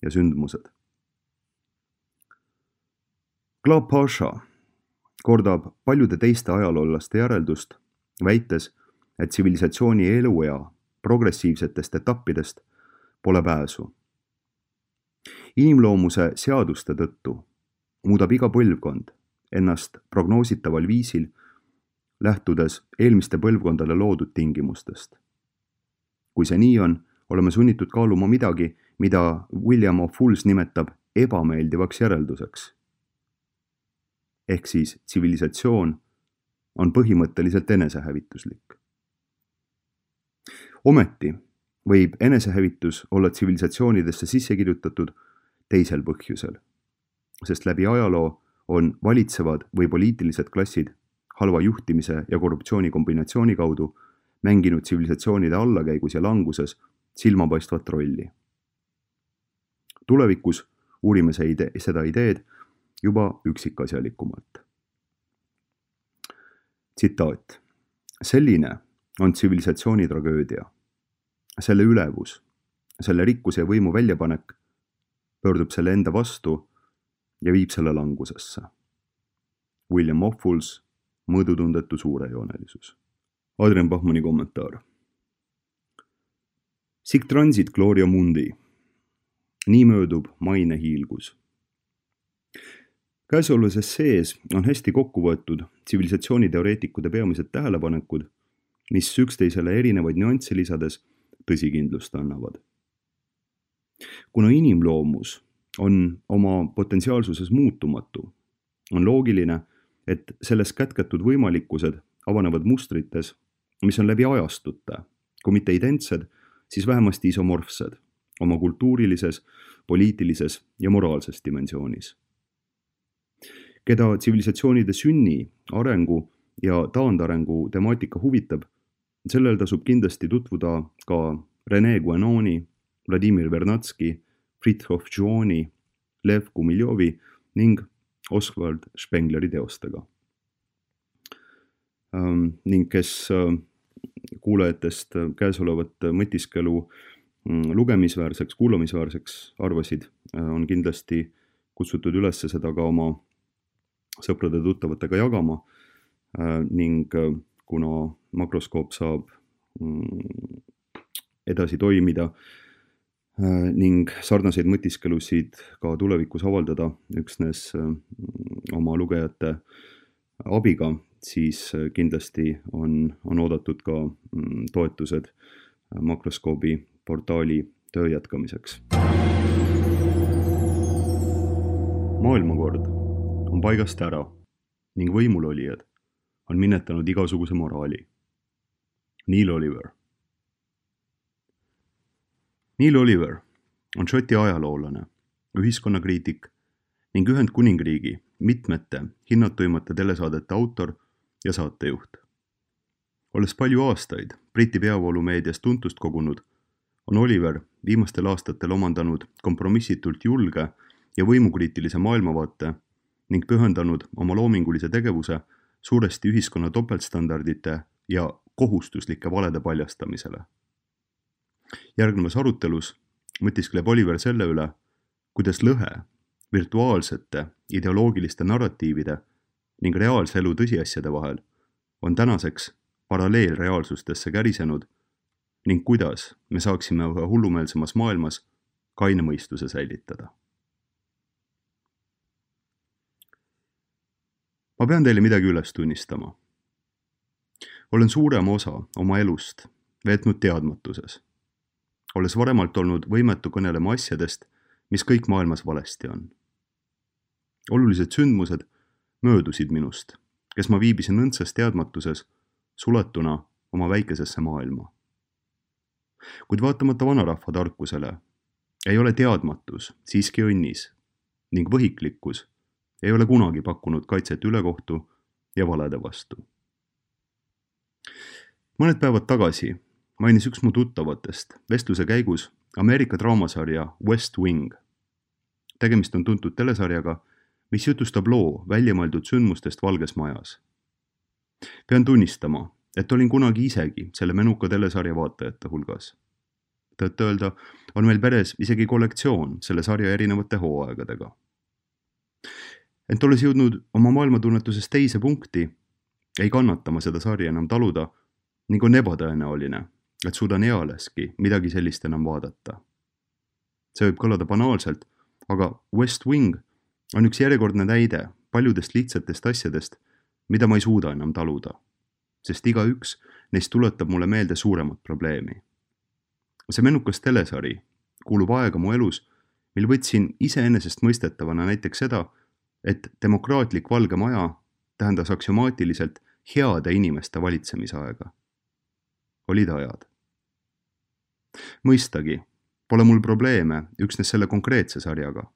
ja sündmused. Claude Pasha kordab paljude teiste ajaloolaste järeldust, väites, et tsivilisatsiooni eluea progressiivsetest etappidest pole pääsu. Inimloomuse seaduste tõttu muudab iga põlvkond ennast prognoositaval viisil, lähtudes eelmiste põlvkondade loodud tingimustest. Kui see nii on, oleme sunnitud kaaluma midagi, mida William of Fools nimetab ebameeldivaks järelduseks. Ehk siis tsivilisatsioon on põhimõtteliselt enesehävituslik. Ometi võib enesehävitus olla tsivilisatsioonidesse sisse kirjutatud teisel põhjusel, sest läbi ajaloo on valitsevad või poliitilised klassid halva juhtimise ja korruptsiooni kombinatsiooni kaudu mänginud tsivilisatsioonide allakäigus ja languses silmapaistvat rolli. Tulevikus uurime seda ideed juba üksikasjalikumalt. Tsitaat. Selline on tsivilisatsiooni tragöödia. Selle ülevus, selle rikkuse ja võimu väljapanek pöördub selle enda vastu ja viib selle langusesse. William of Fools, mõõdutundetu suurejoonelisus. Adrian Bachmanni kommentaar. Sic transit gloria mundi. Nii möödub maine hiilgus. Käesolevas essees on hästi kokku võetud tsivilisatsiooniteoreetikute peamised tähelepanekud, mis üksteisele erinevaid nüansse lisades tõsikindlust annavad. Kuna inimloomus on oma potentsiaalsuses muutumatu, on loogiline, et selles kätketud võimalikkused avanevad mustrites, mis on läbi ajastute, kui mitte identsed, siis vähemasti isomorfsed oma kultuurilises, poliitilises ja moraalses dimensioonis. Keda tsivilisatsioonide sünni, arengu ja taandarengu temaatika huvitab, sellel tasub kindlasti tutvuda ka René Guénoni, Vladimir Vernatski, Fritjof Jooni, Lev Gumiljovi ning Oswald Spengleri teostega. Ning kes kuulajatest käesolevat mõtiskelu lugemisväärseks, kuulamisväärseks arvasid, on kindlasti kutsutud üles seda ka oma sõprade tuttavatega jagama ning kuna makroskoop saab edasi toimida ning sarnaseid mõtiskelusid ka tulevikus avaldada üksnes oma lugejate abiga, siis kindlasti on oodatud ka toetused makroskoobi portaali töö jätkamiseks. Maailmakord on paigast ära ning võimulolijad on minetanud igasuguse moraali. Neil Oliver. Neil Oliver on Šoti ajaloolane, ühiskonnakriitik ning Ühendkuningriigi mitmete hinnatuimate telesaadete autor ja saatejuht. Olles palju aastaid Briti peavoolumeedias tuntust kogunud, on Oliver viimastel aastatel omandanud kompromissitult julge ja võimukriitilise maailmavaate ning pühendanud oma loomingulise tegevuse suuresti ühiskonna topeltstandardite ja kohustuslike valede paljastamisele. Järgnevas arutelus mõtiskleb Oliver selle üle, kuidas lõhe virtuaalsete ideoloogiliste narratiivide ning reaalse elu tõsiasjade vahel on tänaseks paralleelreaalsustesse kärisenud ning kuidas me saaksime ühe hullumeelsemas maailmas kaine mõistuse säilitada. Ma pean teile midagi üles tunnistama. Olen suurema osa oma elust veetnud teadmatuses, olles varemalt olnud võimetu kõnelema asjadest, mis kõik maailmas valesti on. Olulised sündmused möödusid minust, kes ma viibisin õndsas teadmatuses, suletuna oma väikesesse maailma. Kuid vaatamata vanarahva tarkusele ei ole teadmatus siiski õnnis ning võhiklikkus ei ole kunagi pakkunud kaitset ülekohtu ja valede vastu. Mõned päevad tagasi mainis üks mu tuttavatest vestluse käigus Ameerika draamasarja West Wing. Tegemist on tuntud telesarjaga, mis jutustab loo väljamõeldud sündmustest Valges Majas. Pean tunnistama, et olin kunagi isegi selle menuka telesarja vaatajate hulgas. Tõtt-öelda on meil peres isegi kollektsioon selle sarja erinevate hooaegadega. Ent olles jõudnud oma maailmatunnetuses teise punkti, ei kannata ma seda sarja enam taluda ning on ebatõenäoline, et suudan ealeski midagi sellist enam vaadata. See võib kõlada banaalselt, aga West Wing on üks järjekordne näide paljudest lihtsatest asjadest, mida ma ei suuda enam taluda, sest igaüks neist tuletab mulle meelde suuremat probleemi. See mennukas telesari kuulub aega mu elus, mil võtsin iseenesestmõistetavana näiteks seda, et demokraatlik Valge Maja tähendas aksiomaatiliselt heade inimeste valitsemisaega. Olid ajad. Mõistagi, pole mul probleeme üksnes selle konkreetse sarjaga.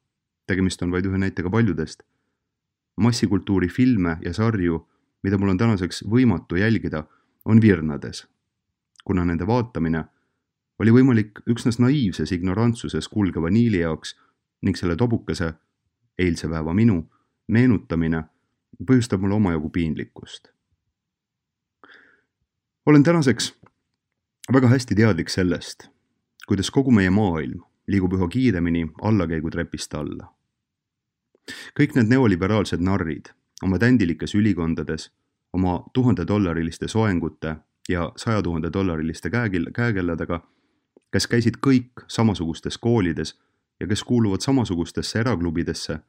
Tegemist on vaid ühe näitega paljudest. Massikultuuri filme ja sarju, mida mul on tänaseks võimatu jälgida, on virnades, kuna nende vaatamine oli võimalik üksnes naiivses ignorantsuses kulgeva Niili jaoks ning selle tobukese, eilse päeva minu, meenutamine põhjustab mulle omajagu piinlikkust. Olen tänaseks väga hästi teadlik sellest, kuidas kogu meie maailm liigub üha kiiremini allakäigutrepist alla. Kõik need neoliberaalsed narrid oma tändilikes ülikondades, oma $1000 soengute ja $100,000 käekelladega, kes käisid kõik samasugustes koolides ja kes kuuluvad samasugustesse eraklubidesse,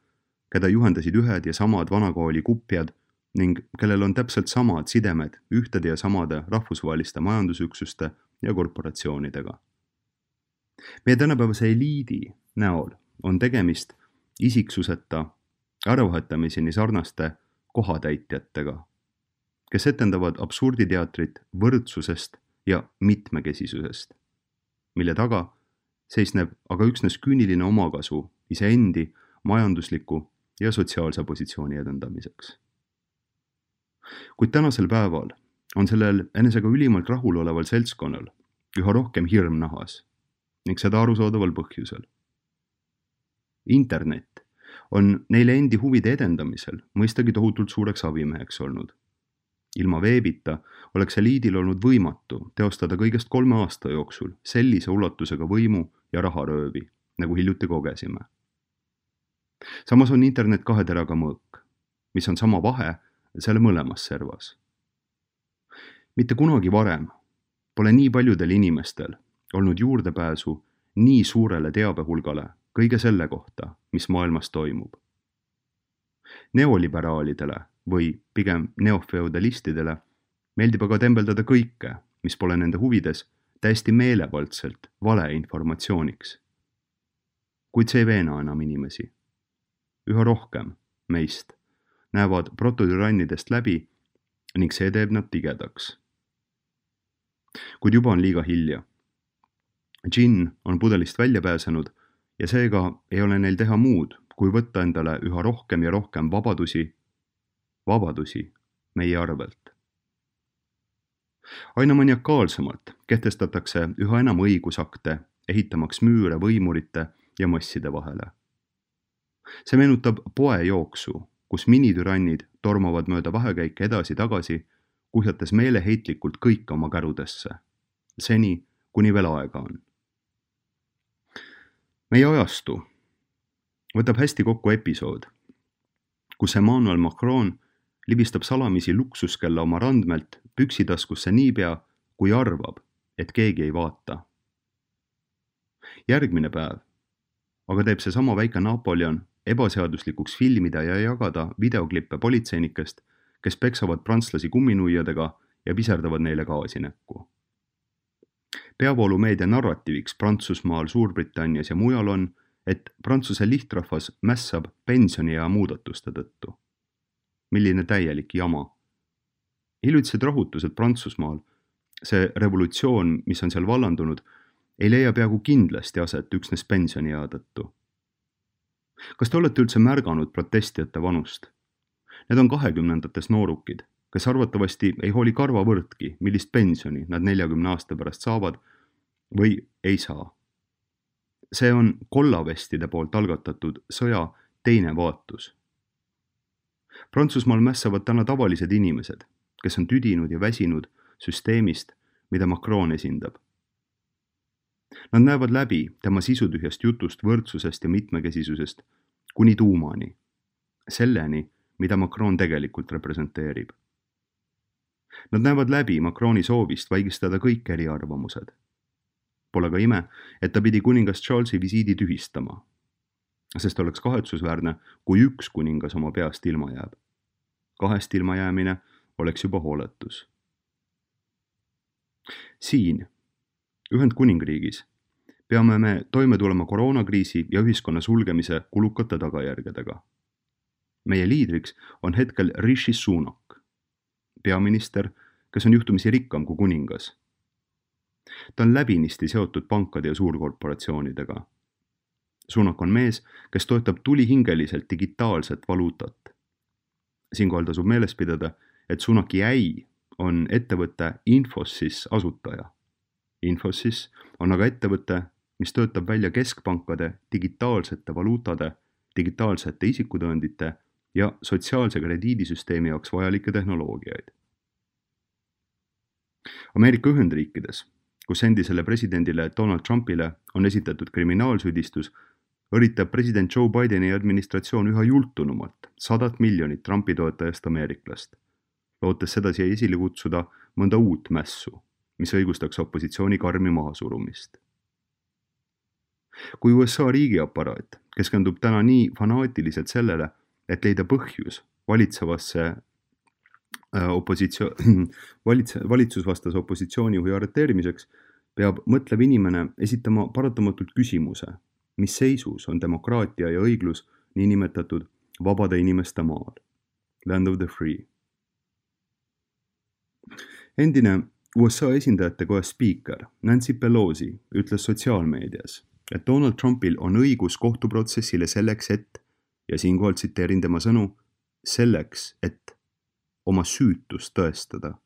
keda juhendasid ühed ja samad vanakooli kupjad ning kellel on täpselt samad sidemed ühtede ja samade rahvusvaheliste majandusüksuste ja korporatsioonidega. Meie tänapäevase eliidi näol on tegemist isiksuseta äravahetamiseni sarnaste kohatäitjatega, kes etendavad absurditeatrit võrdsusest ja mitmekesisusest, mille taga seisneb aga üksnes küüniline omakasu iseendi majandusliku ja sotsiaalse positsiooni edendamiseks. Kuid tänasel päeval on sellel enesega ülimalt rahul oleval seltskonnal üha rohkem hirm nahas ning seda arusaadaval põhjusel. Internet on neile endi huvide edendamisel mõistagi tohutult suureks abimeheks olnud. Ilma veebita oleks eliidil olnud võimatu teostada kõigest 3 aasta jooksul sellise ulatusega võimu ja raharöövi, nagu hiljuti kogesime. Samas on internet 2 teraga mõõk, mis on sama vahe selle mõlemas servas. Mitte kunagi varem pole nii paljudel inimestel olnud juurdepääsu nii suurele teabehulgale kõige selle kohta, mis maailmas toimub. Neoliberaalidele või pigem neofeudalistidele meeldib aga tembeldada kõike, mis pole nende huvides, täiesti meelevaldselt valeinformatsiooniks. Kuid see ei veena enam inimesi. Üha rohkem meist näevad prototürannidest läbi ning see teeb nad tigedaks. Kuid juba on liiga hilja. Džinn on pudelist välja pääsenud ja seega ei ole neil teha muud, kui võtta endale üha rohkem ja rohkem vabadusi meie arvelt. Aina maniakaalsemalt kehtestatakse üha enam õigusakte, ehitamaks müüre võimurite ja masside vahele. See meenutab poejooksu, kus minitürannid tormavad mööda vahekäike edasi-tagasi, kuhjates meeleheitlikult kõik oma kärudesse, seni kuni veel aega on. Meie ajastu võtab hästi kokku episood, kus Emmanuel Macron libistab salamisi luksuskella oma randmelt püksitaskusse niipea, kui arvab, et keegi ei vaata. Järgmine päev aga teeb see sama väike Napoleon ebaseaduslikuks filmida ja jagada videoklippe politseinikest, kes peksavad prantslasi kumminuiadega ja piserdavad neile gaasi näkku. Peavoolumeedia narratiiviks Prantsusmaal, Suurbritannias ja mujal on, et Prantsuse lihtrahvas mässab pensioniea muudatuste tõttu. Milline täielik jama. Hiljutised rahutused Prantsusmaal, see revolutsioon, mis on seal vallandunud, ei leia peaaegu kindlasti aset üksnes pensioniea tõttu. Kas te olete üldse märganud protestijate vanust? Need on 20-ndates noorukid, kes arvatavasti ei hooli karvavõrdki, millist pensioni nad 40 aasta pärast saavad või ei saa. See on kollavestide poolt algatatud sõja teine vaatus. Prantsusmaal mässavad täna tavalised inimesed, kes on tüdinud ja väsinud süsteemist, mida Macron esindab. Nad näevad läbi tema sisutühjast jutust võrdsusest ja mitmekesisusest kuni tuumani, selleni, mida Macron tegelikult representeerib. Nad näevad läbi Macroni soovist vaigistada kõik eriarvamused. Pole ka ime, et ta pidi kuningas Charlesi visiidi tühistama, sest oleks kahetsusväärne, kui üks kuningas oma peast ilma jääb. 2 ilmajäämine oleks juba hooletus. Siin, Ühendkuningriigis, peame me toime tulema koroonakriisi ja ühiskonna sulgemise kulukate tagajärgedega. Meie liidriks on hetkel Rishi Sunak, peaminister, kes on juhtumisi rikkam kui kuningas. Ta on läbinisti seotud pankade ja suurkorporatsioonidega. Sunak on mees, kes toetab tulihingeliselt digitaalset valuutat. Siinkohal tasub meeles pidada, et Sunaki äi on ettevõtte Infosys asutaja. Infosys on aga ettevõte, mis töötab välja keskpankade digitaalsete valuutade, digitaalsete isikutõendite ja sotsiaalse krediidisüsteemi jaoks vajalikke tehnoloogiaid. Ameerika Ühendriikides, kus endisele presidendile Donald Trumpile on esitatud kriminaalsüüdistus, üritab president Joe Bideni administratsioon üha jultunumalt 100 miljonit Trumpi toetajast ameeriklast, lootes sedasi esile kutsuda mõnda uut mässu, mis õigustaks opositsiooni karmi mahasurumist. Kui USA riigiaparaat keskendub täna nii fanaatiliselt sellele, et leida põhjus valitsusvastase opositsioonijuhi arreteerimiseks, peab mõtlev inimene esitama paratamatult küsimuse, mis seisus on demokraatia ja õiglus niinimetatud vabade inimeste maal, land of the free. Endine USA esindajate koja spiiker Nancy Pelosi ütles sotsiaalmeedias, et Donald Trumpil on õigus kohtuprotsessile selleks, et, ja siinkohal tsiteerin tema sõnu, selleks, et oma süütust tõestada.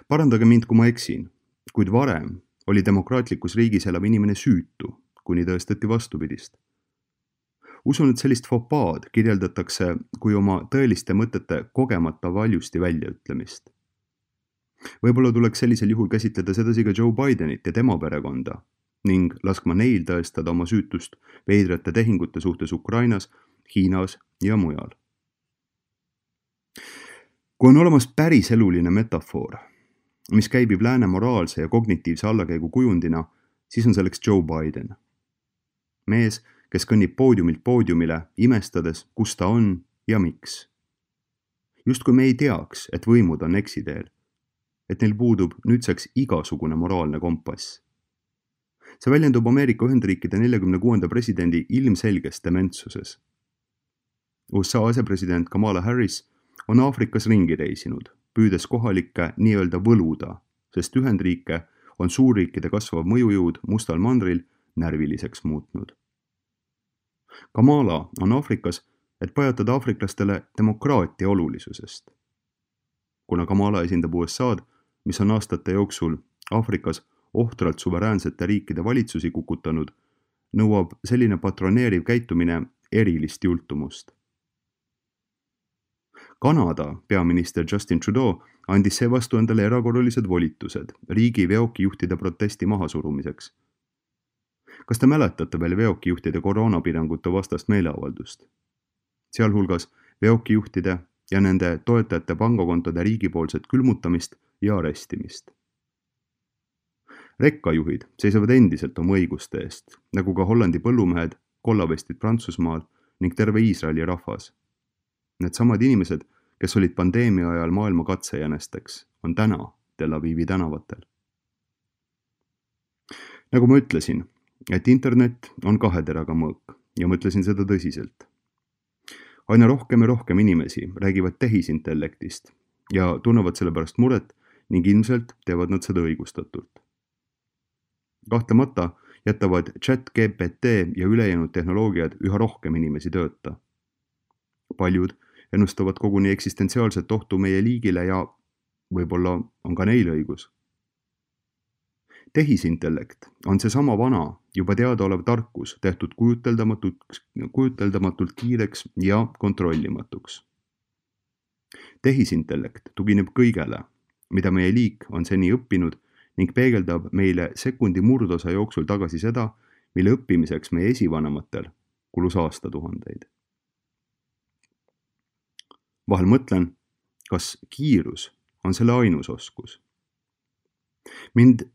Parandage mind, kui ma eksin, kuid varem oli demokraatlikus riigis elav inimene süütu, kuni tõestati vastupidist. Usun, et sellist fopaad kirjeldatakse kui oma tõeliste mõtete kogemata valjusti väljaütlemist. Võib-olla tuleks sellisel juhul käsitleda sedasi ka Joe Bidenit ja tema perekonda ning laskma neil tõestada oma süütust veidrate tehingute suhtes Ukrainas, Hiinas ja mujal. Kui on olemas päris eluline metafoor, mis käibib lääne moraalse ja kognitiivse allakäigu kujundina, siis on selleks Joe Biden. Mees, kes kõnnib poodiumilt poodiumile, imestades, kus ta on ja miks. Justkui me ei teaks, et võimud on eksiteel, et neil puudub nüüdseks igasugune moraalne kompass. See väljendub Ameerika Ühendriikide 46. presidendi ilmselges dementsuses. USA asepresident Kamala Harris on Aafrikas ringi reisinud, püüdes kohalikke nii-öelda võluda, sest Ühendriike on suurriikide kasvav mõjujõud mustal mandril närviliseks muutnud. Kamala on Aafrikas, et pajatada aafriklastele demokraatia olulisusest. Kuna Kamala esindab USA'd, mis on aastate jooksul Aafrikas ohtralt suveräänsete riikide valitsusi kukutanud, nõuab selline patroneeriv käitumine erilist jultumust. Kanada peaminister Justin Trudeau andis seevastu endale erakorralised volitused riigi veokijuhtide protesti mahasurumiseks. Kas te mäletate veel veokijuhtide koroonapiirangute vastast meeleavaldust? Sealhulgas veokijuhtide ja nende toetajate pangakontode riigipoolset külmutamist ja arestimist. Rekkajuhid seisavad endiselt oma õiguste eest, nagu ka Hollandi põllumehed, kollavestid Prantsusmaal ning terve Iisraeli rahvas. Need samad inimesed, kes olid pandeemia ajal maailma katsejänesteks, on täna Tel Avivi tänavatel. Nagu ma ütlesin, et internet on 2 teraga mõõk ja mõtlesin seda tõsiselt. Aina rohkem ja rohkem inimesi räägivad tehisintellektist ja tunnevad selle pärast muret ning ilmselt teevad nad seda õigustatult. Kahtlemata jätavad ChatGPT ja ülejäänud tehnoloogiad üha rohkem inimesi tööta. Paljud ennustavad koguni eksistentsiaalset ohtu meie liigile ja võib-olla on ka neil õigus. Tehisintellekt on seesama vana, juba teadaolev tarkus tehtud kujuteldamatult kiireks ja kontrollimatuks. Tehisintellekt tugineb kõigele, mida meie liik on seni õppinud ning peegeldab meile sekundi murdosa jooksul tagasi seda, mille õppimiseks meie esivanematel kulus aastatuhandeid. Vahel mõtlen, kas kiirus on selle ainus oskus. Mind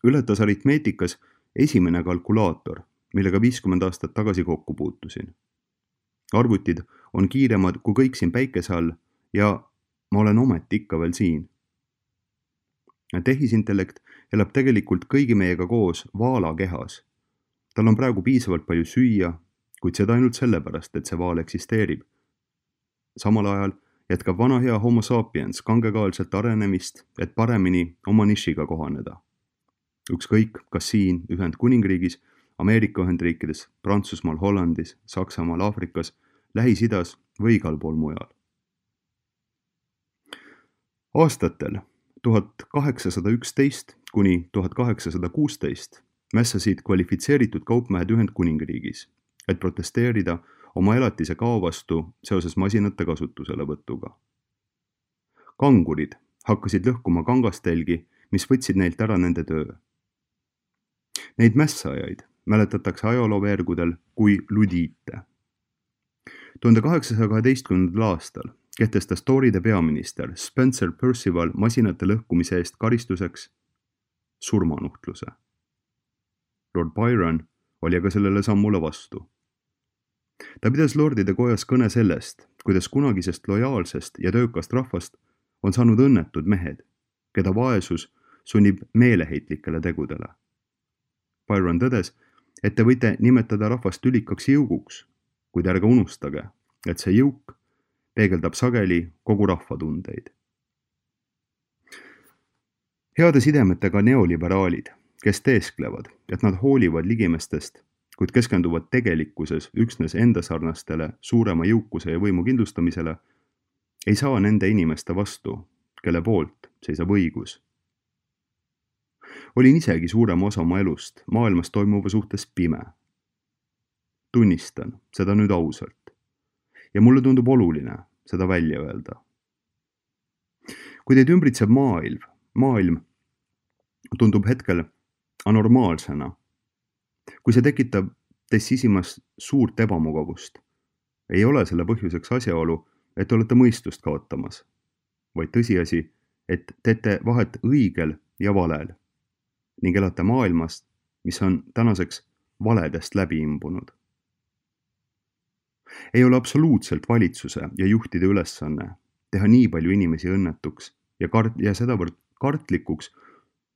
ületas aritmeetikas esimene kalkulaator, millega 50 aastat tagasi kokku puutusin. Arvutid on kiiremad kui kõik siin päikese all ja ma olen ometi ikka veel siin. Tehisintellekt elab tegelikult kõigi meiega koos vaala kehas. Tal on praegu piisavalt palju süüa, kuid seda ainult sellepärast, et see vaal eksisteerib. Samal ajal jätkab vana hea homo sapiens kangekaelselt arenemist, et paremini oma nišiga kohaneda. Ükskõik, kas siin Ühendkuningriigis, Ameerika Ühendriikides, Prantsusmaal, Hollandis, Saksamaal, Aafrikas, Lähis-Idas või igal pool mujal. Aastatel 1811 kuni 1816 mässasid kvalifitseeritud kaupmehed Ühendkuningriigis, et protesteerida oma elatise kao vastu seoses masinate kasutuselevõtuga. Kangurid hakkasid lõhkuma kangastelgi, mis võtsid neilt ära nende töö. Neid mässajaid mäletatakse ajalooveergudel kui ludiite. 1812. aastal kehtestas Toryde peaminister Spencer Perceval masinate lõhkumise eest karistuseks surmanuhtluse. Lord Byron oli aga sellele sammule vastu. Ta pidas lordide kojas kõne sellest, kuidas kunagisest lojaalsest ja töökast rahvast on saanud õnnetud mehed, keda vaesus sunnib meeleheitlikele tegudele. Byron tõdes, et te võite nimetada rahvast tülikaks jõuguks, kuid ärge unustage, et see jõuk peegeldab sageli kogu rahvatundeid. Heade sidemetega neoliberaalid, kes teesklevad, et nad hoolivad ligimestest, kuid keskenduvad tegelikkuses üksnes enda sarnastele suurema jõukuse ja võimu kindlustamisele, ei saa nende inimeste vastu, kelle poolt seisab õigus. Olin isegi suurema osa oma elust maailmas toimuva suhtes pime. Tunnistan seda nüüd ausalt ja mulle tundub oluline seda välja öelda. Kui teid ümbritseb maailm tundub hetkel anormaalsena, kui see tekitab teis sisimas suurt ebamugavust, ei ole selle põhjuseks asjaolu, et te olete mõistust kaotamas, vaid tõsiasi, et teete vahet õigel ja valel ning elate maailmas, mis on tänaseks valedest läbi imbunud. Ei ole absoluutselt valitsuse ja juhtide ülesanne teha nii palju inimesi õnnetuks ja sedavõrd kartlikuks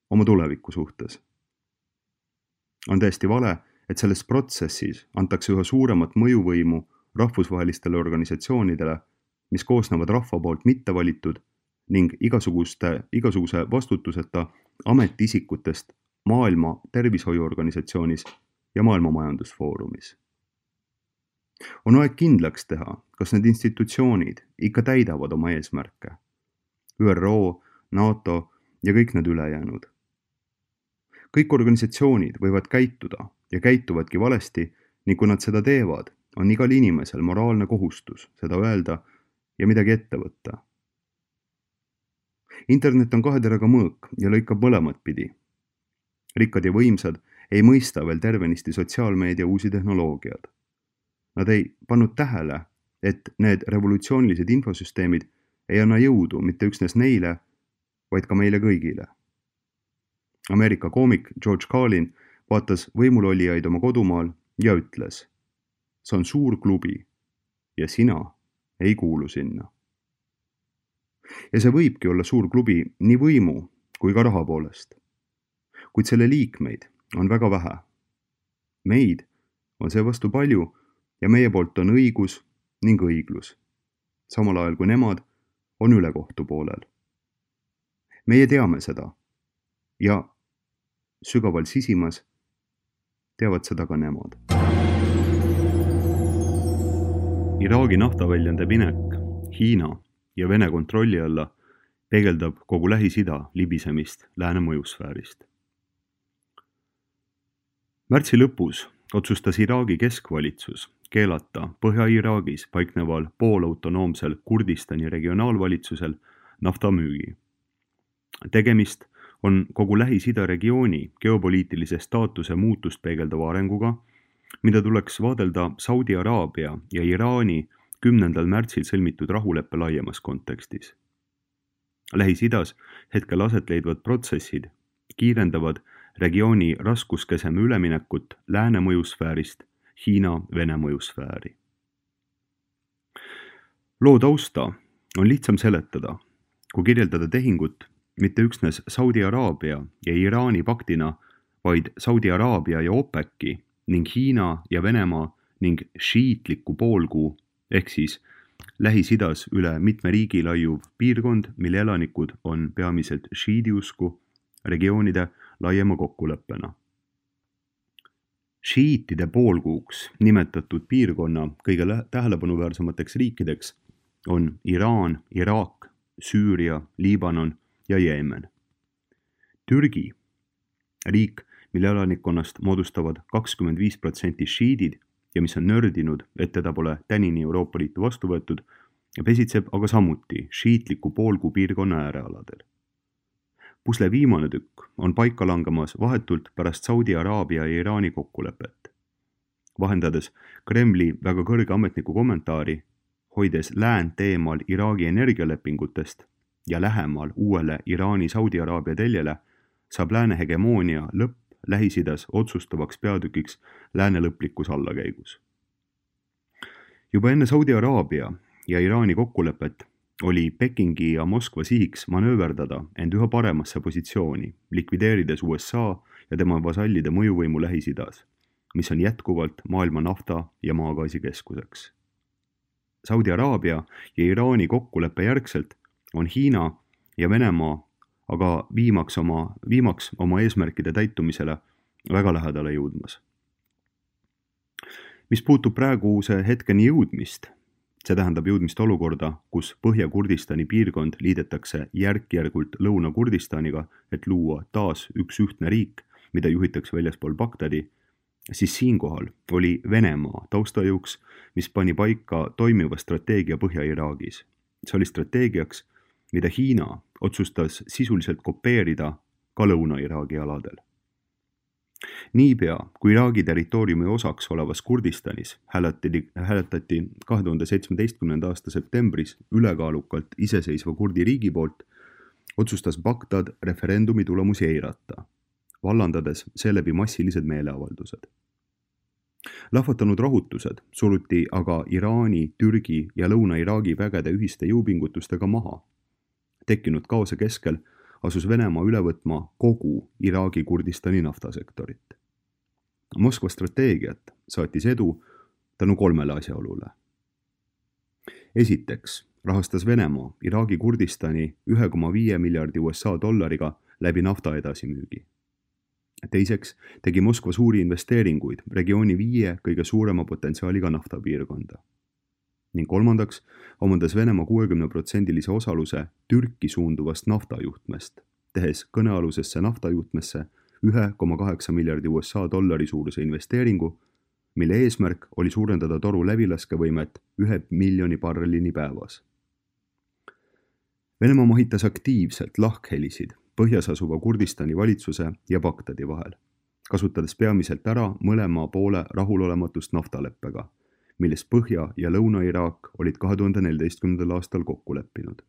oma tuleviku suhtes. On täiesti vale, et selles protsessis antakse üha suuremat mõjuvõimu rahvusvahelistele organisatsioonidele, mis koosnevad rahva poolt mittevalitud ning igasuguse vastutuseta ametiisikutest Maailma Tervishoiuorganisatsioonis ja Maailma Majandusfoorumis. On aeg kindlaks teha, kas need institutsioonid ikka täidavad oma eesmärke. ÜRO, NATO ja kõik need ülejäänud. Kõik organisatsioonid võivad käituda ja käituvadki valesti ning kui nad seda teevad, on igal inimesel moraalne kohustus seda öelda ja midagi ette võtta. Internet on kahe teraga mõõk ja lõikab mõlemat pidi. Rikkad ja võimsad ei mõista veel tervenisti sotsiaalmeedia uusi tehnoloogiad. Nad ei pannud tähele, et need revolutsioonilised infosüsteemid ei anna jõudu mitte üksnes neile, vaid ka meile kõigile. Ameerika koomik George Carlin vaatas võimulolijaid oma kodumaal ja ütles: see on suur klubi ja sina ei kuulu sinna. Ja see võibki olla suur klubi nii võimu kui ka raha poolest. Kuid selle liikmeid on väga vähe. Meid on seevastu palju ja meie poolt on õigus ning õiglus, samal ajal kui nemad on ülekohtu poolel. Meie teame seda ja sügaval sisimas teavad seda ka nemad. Iraagi naftaväljande minek Hiina ja Vene kontrolli alla peegeldab kogu Lähis-Ida libisemist lääne mõjusfäärist. Märtsi lõpus otsustas Iraagi keskvalitsus keelata Põhja-Iraagis paikneval poolautonoomsel Kurdistani regionaalvalitsusel naftamüügi. Tegemist on kogu Lähis-Ida regiooni geopoliitilise staatuse muutust peegeldava arenguga, mida tuleks vaadelda Saudi Araabia ja Iraani 10. märtsil sõlmitud rahuleppe laiemas kontekstis. Lähis-Idas hetkel aset leidvad protsessid kiirendavad regiooni raskuskeseme üleminekut lääne mõjusfäärist Hiina-Vene mõjusfääri. Loo tausta on lihtsam seletada, kui kirjeldada tehingut mitte üksnes Saudi Araabia ja Iraani paktina, vaid Saudi Araabia ja OPEC-i ning Hiina ja Venemaa ning šiitliku poolkuu ehk siis Lähis-Idas üle mitme riigi laiuv piirkond, mille elanikud on peamiselt šiidiusku regioonide laiema kokkuleppena. Šiitide poolkuuks nimetatud piirkonna kõige tähelepanuväärsemateks riikideks on Iraan, Iraak, Süüria, Liibanon ja Jeemen. Türgi, riik, mille elanikkonnast moodustavad 25% šiidid ja mis on nördinud, et teda pole tänini Euroopa Liitu vastu võetud, pesitseb aga samuti šiitliku poolkuu piirkonna äärealadel. Pusle viimane tükk on paika langemas vahetult pärast Saudi Araabia ja Iraani kokkulepet. Vahendades Kremli väga kõrge ametniku kommentaari, hoides läänt eemal Iraagi energialepingutest ja lähemal uuele Iraani-Saudi Araabia teljele, saab lääne hegemoonia lõpp Lähis-Idas otsustavaks peatükiks lääne lõplikus allakäigus. Juba enne Saudi Araabia ja Iraani kokkulepet oli Pekingi ja Moskva sihiks manööverdada end üha paremasse positsiooni, likvideerides USA ja tema vasallide mõjuvõimu Lähis-Idas, mis on jätkuvalt maailma nafta ja maagaasi keskuseks. Saudi Araabia ja Iraani kokkuleppe järgselt on Hiina ja Venemaa aga viimaks oma eesmärkide täitumisele väga lähedale jõudmas. Mis puutub praeguse hetkeni jõudmist, see tähendab jõudmist olukorda, kus Põhja-Kurdistani piirkond liidetakse järk-järgult Lõuna-Kurdistaniga, et luua taas üks ühtne riik, mida juhitakse väljaspool Bagdadi, siis siinkohal oli Venemaa taustajõuks, mis pani paika toimiva strateegia Põhja-Iraagis. See oli strateegiaks, mida Hiina otsustas sisuliselt kopeerida ka Lõuna-Iraagi aladel. Niipea, kui Iraagi territooriumi osaks olevas Kurdistanis hääletati 2017. aasta septembris ülekaalukalt iseseisva kurdi riigi poolt, otsustas Bagdad referendumi tulemusi eirata, vallandades seeläbi massilised meeleavaldused. Lahvatanud rahutused suruti aga Iraani, Türgi ja Lõuna-Iraagi vägede ühiste jõupingutustega maha. Tekkinud kaose keskel asus Venemaa üle võtma kogu Iraagi Kurdistani naftasektorit. Moskva strateegiat saatis edu tänu 3 asjaolule. Esiteks rahastas Venemaa Iraagi Kurdistani 1,5 miljardi USA dollariga läbi nafta edasimüügi. Teiseks tegi Moskva suuri investeeringuid regiooni 5 kõige suurema potentsiaaliga naftapiirkonda. Ning kolmandaks omandas Venemaa 60% osaluse Türki suunduvast naftajuhtmest, tehes kõnealusesse naftajuhtmesse 1,8 miljardi USA dollari suuruse investeeringu, mille eesmärk oli suurendada toru läbilaskevõimet 1 miljoni barrelini päevas. Venemaa mahitas aktiivselt lahkhelisid põhjas asuva Kurdistani valitsuse ja Bagdadi vahel, kasutades peamiselt ära mõlema poole rahulolematust naftaleppega, millest Põhja- ja Lõuna-Iraak olid 2014. aastal kokku leppinud.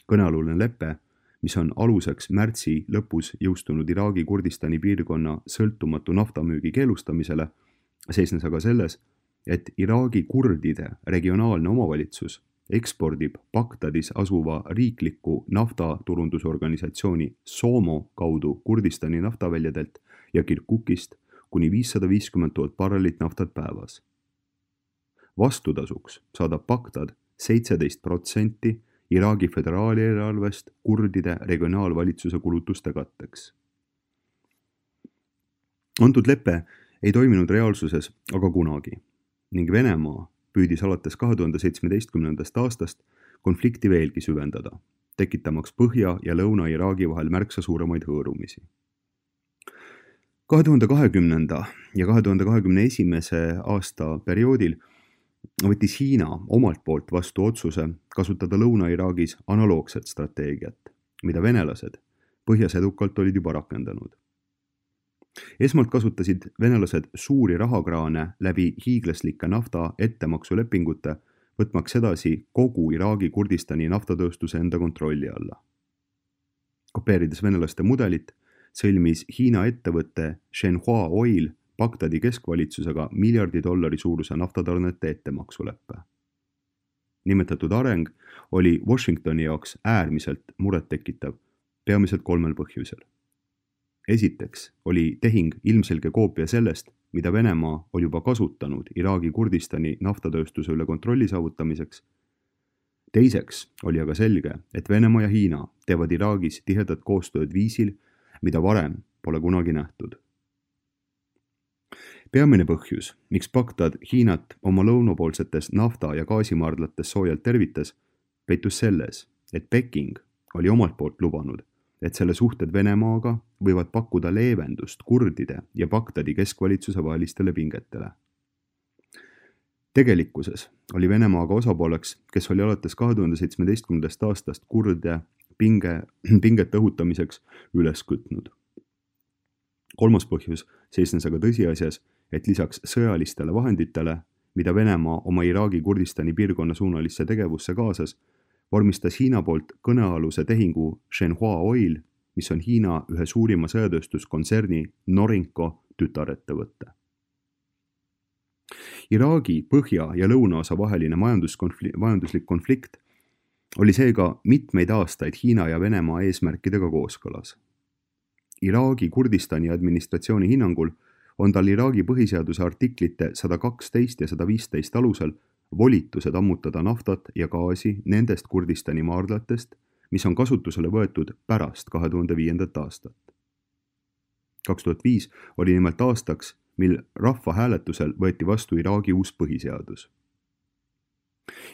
Kõnealune lepe, mis on aluseks märtsi lõpus jõustunud Iraagi Kurdistani piirkonna sõltumatu naftamüügi keelustamisele, seisnes aga selles, et Iraagi kurdide regionaalne omavalitsus ekspordib Bagdadis asuva riikliku naftaturundusorganisatsiooni SOMO kaudu Kurdistani naftaväljadelt ja Kirkukist kuni 550 000 barrelit naftat päevas. Vastutasuks saadab Bagdad 17% Iraagi föderaalieelarvest kurdide regionaalvalitsuse kulutuste katteks. Antud lepe ei toiminud reaalsuses aga kunagi ning Venemaa püüdis alates 2017. aastast konflikti veelgi süvendada, tekitamaks Põhja- ja Lõuna-Iraagi vahel märksa suuremaid hõõrumisi. 2020. ja 2021. aasta perioodil võttis Hiina omalt poolt vastu otsuse kasutada Lõuna-Iraagis analoogset strateegiat, mida venelased põhjas edukalt olid juba rakendanud. esmalt kasutasid venelased suuri rahakraane läbi hiiglaslike nafta ettemaksulepingute, võtmaks edasi kogu Iraagi Kurdistani naftatööstuse enda kontrolli alla. Kopeerides venelaste mudelit, sõlmis Hiina ettevõtte Shenhua Oil Bagdadi keskvalitsusega $1 miljardi suuruse naftatarnete ettemaksuleppe. Nimetatud areng oli Washingtoni jaoks äärmiselt murettekitav, peamiselt 3 põhjusel. Esiteks oli tehing ilmselge koopia sellest, mida Venemaa oli juba kasutanud Iraagi Kurdistani naftatööstuse üle kontrolli saavutamiseks. Teiseks oli aga selge, et Venemaa ja Hiina teevad Iraagis tihedat koostööd viisil, mida varem pole kunagi nähtud. Peamine põhjus, miks Bagdad Hiinat oma lõunapoolsetes nafta- ja gaasimaardlates soojalt tervitas, peitus selles, et Peking oli omalt poolt lubanud, et selle suhted Venemaaga võivad pakkuda leevendust kurdide ja Bagdadi keskvalitsuse vahelistele pingetele. Tegelikkuses oli Venemaaga osapooleks, kes oli alates 2017. aastast kurde pinget õhutamiseks üles kütnud. Kolmas põhjus seisnes aga tõsiasjas, et lisaks sõjalistele vahenditele, mida Venemaa oma Iraagi Kurdistani piirkonna suunalisse tegevusse kaasas, vormistas Hiina poolt kõnealuse tehingu Shenhua Oil, mis on Hiina ühe suurima sõjatööstuskontserni Norinco tütarettevõtte. Iraagi põhja- ja lõunaosa vaheline majanduslik konflikt oli seega mitmeid aastaid Hiina ja Venemaa eesmärkidega kooskõlas. Iraagi Kurdistani administratsiooni hinnangul on tal Iraagi põhiseaduse artiklite 112 ja 115 alusel volitused ammutada naftat ja gaasi nendest Kurdistani maardlatest, mis on kasutusele võetud pärast 2005. aastat. 2005 oli nimelt aastaks, mil rahvahääletusel võeti vastu Iraagi uus põhiseadus.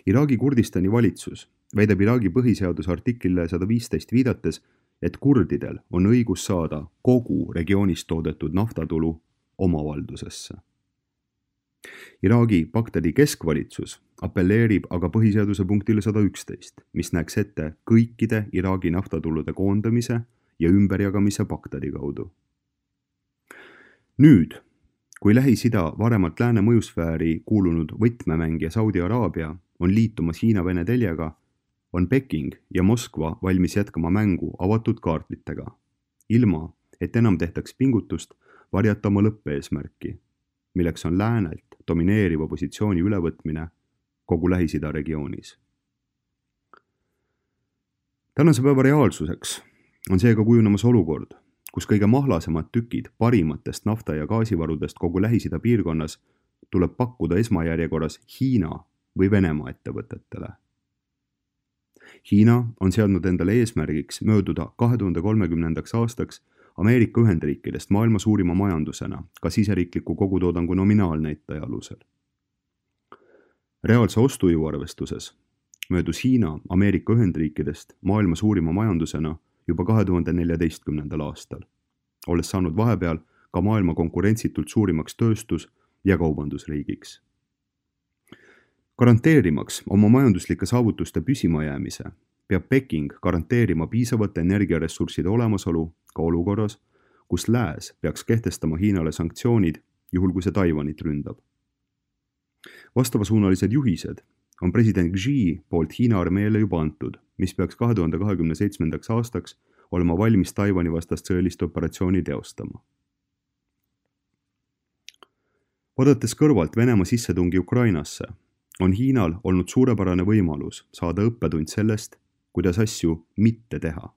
Iraagi Kurdistani valitsus väidab Iraagi põhiseaduse artiklile 115 viidates, et kurdidel on õigus saada kogu regioonis toodetud naftatulu omavaldusesse. Iraagi Bagdadi keskvalitsus appelleerib aga põhiseaduse punktile 111, mis näeks ette kõikide Iraagi naftatulude koondamise ja ümberjagamise Bagdadi kaudu. Nüüd, kui Lähis-Ida varemalt lääne mõjusfääri kuulunud võtmemängija Saudi Araabia on liitumas Hiina-Vene teljega, on Peking ja Moskva valmis jätkama mängu avatud kaartlitega, ilma et enam tehtaks pingutust varjata oma lõppeesmärki, milleks on läänelt domineeriva positsiooni ülevõtmine kogu Lähis-Ida regioonis. Tänase päeva reaalsuseks on seega kujunemas olukord, kus kõige mahlasemad tükid parimatest nafta- ja gaasivarudest kogu Lähis-Ida piirkonnas tuleb pakkuda esmajärjekorras Hiina või Venemaa ettevõtetele. Hiina on seadnud endale eesmärgiks mööduda 2030. aastaks Ameerika Ühendriikidest maailma suurima majandusena ka siseriikliku kogutoodangu nominaalnäitaja alusel. Reaalse ostujõu arvestuses möödus Hiina Ameerika Ühendriikidest maailma suurima majandusena juba 2014. aastal, olles saanud vahepeal ka maailma konkurentsitult suurimaks tööstus- ja kaubandusriigiks. Garanteerimaks oma majanduslike saavutuste püsimajäämise, peab Peking garanteerima piisavate energiaressursside olemasolu ka olukorras, kus lääs peaks kehtestama Hiinale sanktsioonid, juhul kui see Taiwanit ründab. Vastavasuunalised juhised on president Xi poolt Hiina armeele juba antud, mis peaks 2027. aastaks olema valmis Taiwani vastast sõjalist operatsiooni teostama. Vaadates kõrvalt Venemaa sissetungi Ukrainasse, on Hiinal olnud suurepärane võimalus saada õppetund sellest, kuidas asju mitte teha.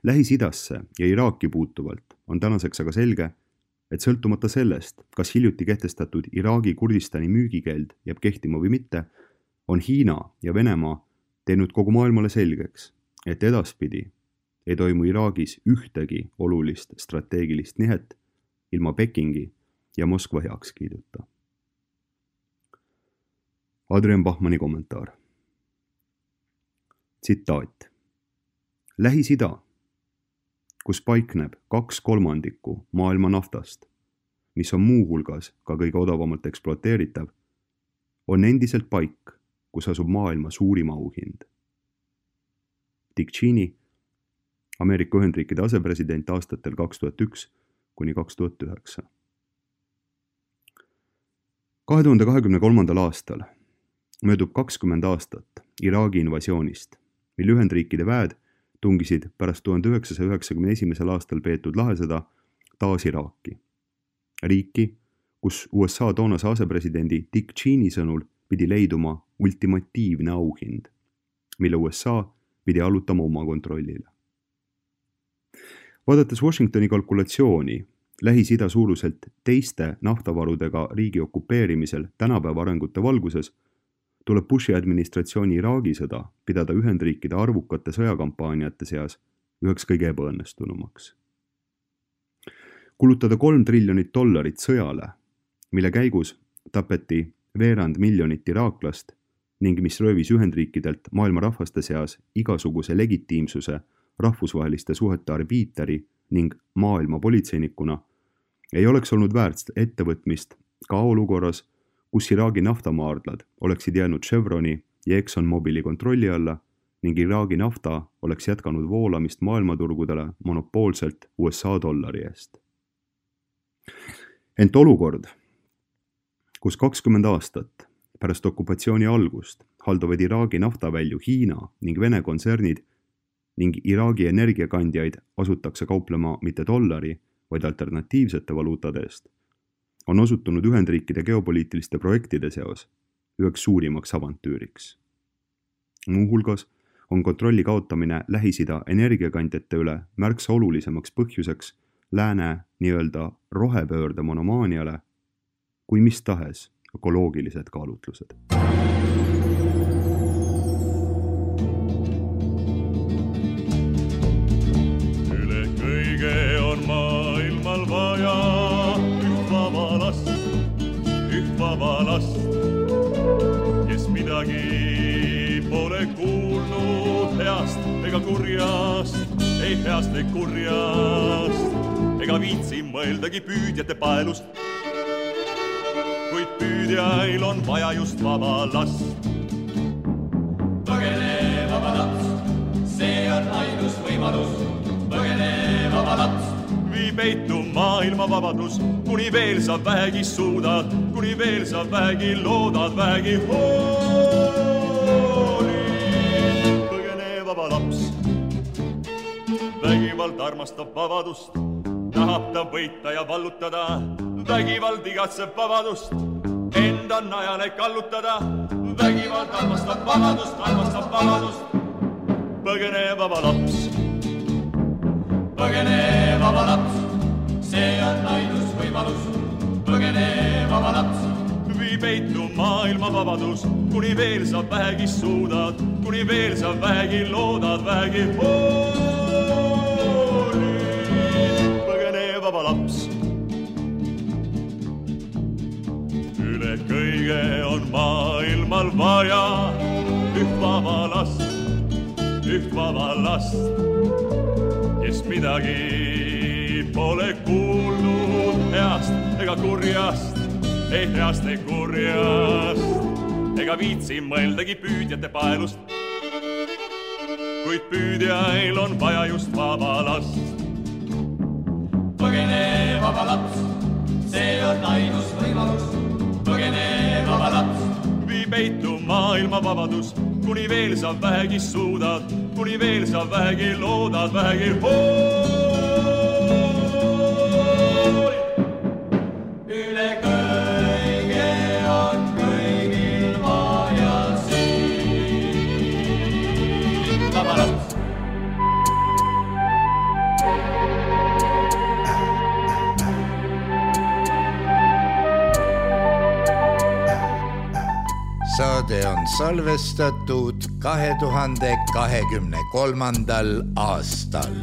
Lähis-Idasse ja Iraaki puutuvalt on tänaseks aga selge, et sõltumata sellest, kas hiljuti kehtestatud Iraagi Kurdistani müügikeeld jääb kehtima või mitte, on Hiina ja Venemaa teinud kogu maailmale selgeks, et edaspidi ei toimu Iraagis ühtegi olulist strateegilist nihet ilma Pekingi ja Moskva heakskiiduta. Adrian Bachmanni kommentaar. Tsitaat. Lähis-Ida, kus paikneb 2/3 maailma naftast, mis on muuhulgas ka kõige odavamalt ekspluateeritav, on endiselt paik, kus asub maailma suurim auhind. Dick Cheney, Ameerika Ühendriikide asepresident aastatel 2001 kuni 2009. 2023. aastal möödub 20 aastat Iraagi invasioonist, mil Ühendriikide väed tungisid pärast 1991. aastal peetud lahesõda taas Iraaki. Riiki, kus USA toonase asepresidendi Dick Cheney sõnul pidi leiduma ultimatiivne auhind, mille USA pidi allutama oma kontrollile. Vaadates Washingtoni kalkulatsiooni Lähis-Ida suuruselt teiste naftavarudega riigi okupeerimisel tänapäeva arengute valguses, tuleb Bushi administratsiooni Iraagi sõda pidada Ühendriikide arvukate sõjakampaaniate seas üheks kõige ebaõnnestunumaks. Kulutada $3 triljonit sõjale, mille käigus tapeti 200 miljonit iraaklast ning mis röövis Ühendriikidelt maailma rahvaste seas igasuguse legitiimsuse rahvusvaheliste suhete arbiiteri ning maailma politseinikuna, ei oleks olnud väärt ettevõtmist ka olukorras, kus Iraagi naftamaardlad oleksid jäänud Chevroni ja ExxonMobili kontrolli alla ning Iraagi nafta oleks jätkanud voolamist maailmaturgudele monopoolselt USA dollari eest. Ent olukord, kus 20 aastat pärast okupatsiooni algust haldavad Iraagi naftavälju Hiina ning Vene kontsernid ning Iraagi energiakandjaid asutakse kauplema mitte dollari, vaid alternatiivsete valuutade eest, on osutunud Ühendriikide geopoliitiliste projektide seos üheks suurimaks avantüüriks. Muuhulgas on kontrolli kaotamine Lähis-Ida energiakandjate üle märksa olulisemaks põhjuseks lääne nii-öelda rohepöörde monomaaniale kui mis tahes ökoloogilised kaalutlused. Üle kõige on maailmal vaja üht vaba last, kes midagi pole kuulnud heast ega kurjast, ei heast ei kurjast, ega viitsi mõeldagi püüdjate paelust, kuid püüdjail on vaja just vaba last. Põgene vaba laps, see on ainus võimalus, põgene vaba laps. Vii peitu maailma vabadus, kuni veel sa vähegi suudad, kuni veel sa vähegi loodad, vähegi hoolid. Põgene vaba laps, vägivald armastab vabadust, tahab ta võita ja vallutada, vägivald igatseb vabadust, enda najale kallutada, vägivald armastab vabadust. Põgene vaba laps. Põgene vaba laps, see on ainus võimalus, põgene vaba laps. Vii peitu maailma vabadus, kuni veel sa vähegi suudad, kuni veel sa vähegi loodad, vähegi hoolid. Põgene vaba laps. Üle kõige on maailmal vaja üht vaba last, kes midagi pole kuulnud heast ega kurjast, ei heast ei kurjast, ega viitsi mõeldagi püüdjate paelust, kuid püüdjail on vaja just vaba last. Põgene vaba laps, see on ainus võimalus, põgene vaba laps. Vii peitu maailma vabadus, kuni veel sa vähegi suudad, kuni veel sa vähegi loodad, vähegi hoolid. Üle kõige on kõigil vaja siin vaba laps. Saade on salvestatud 2023. aastal.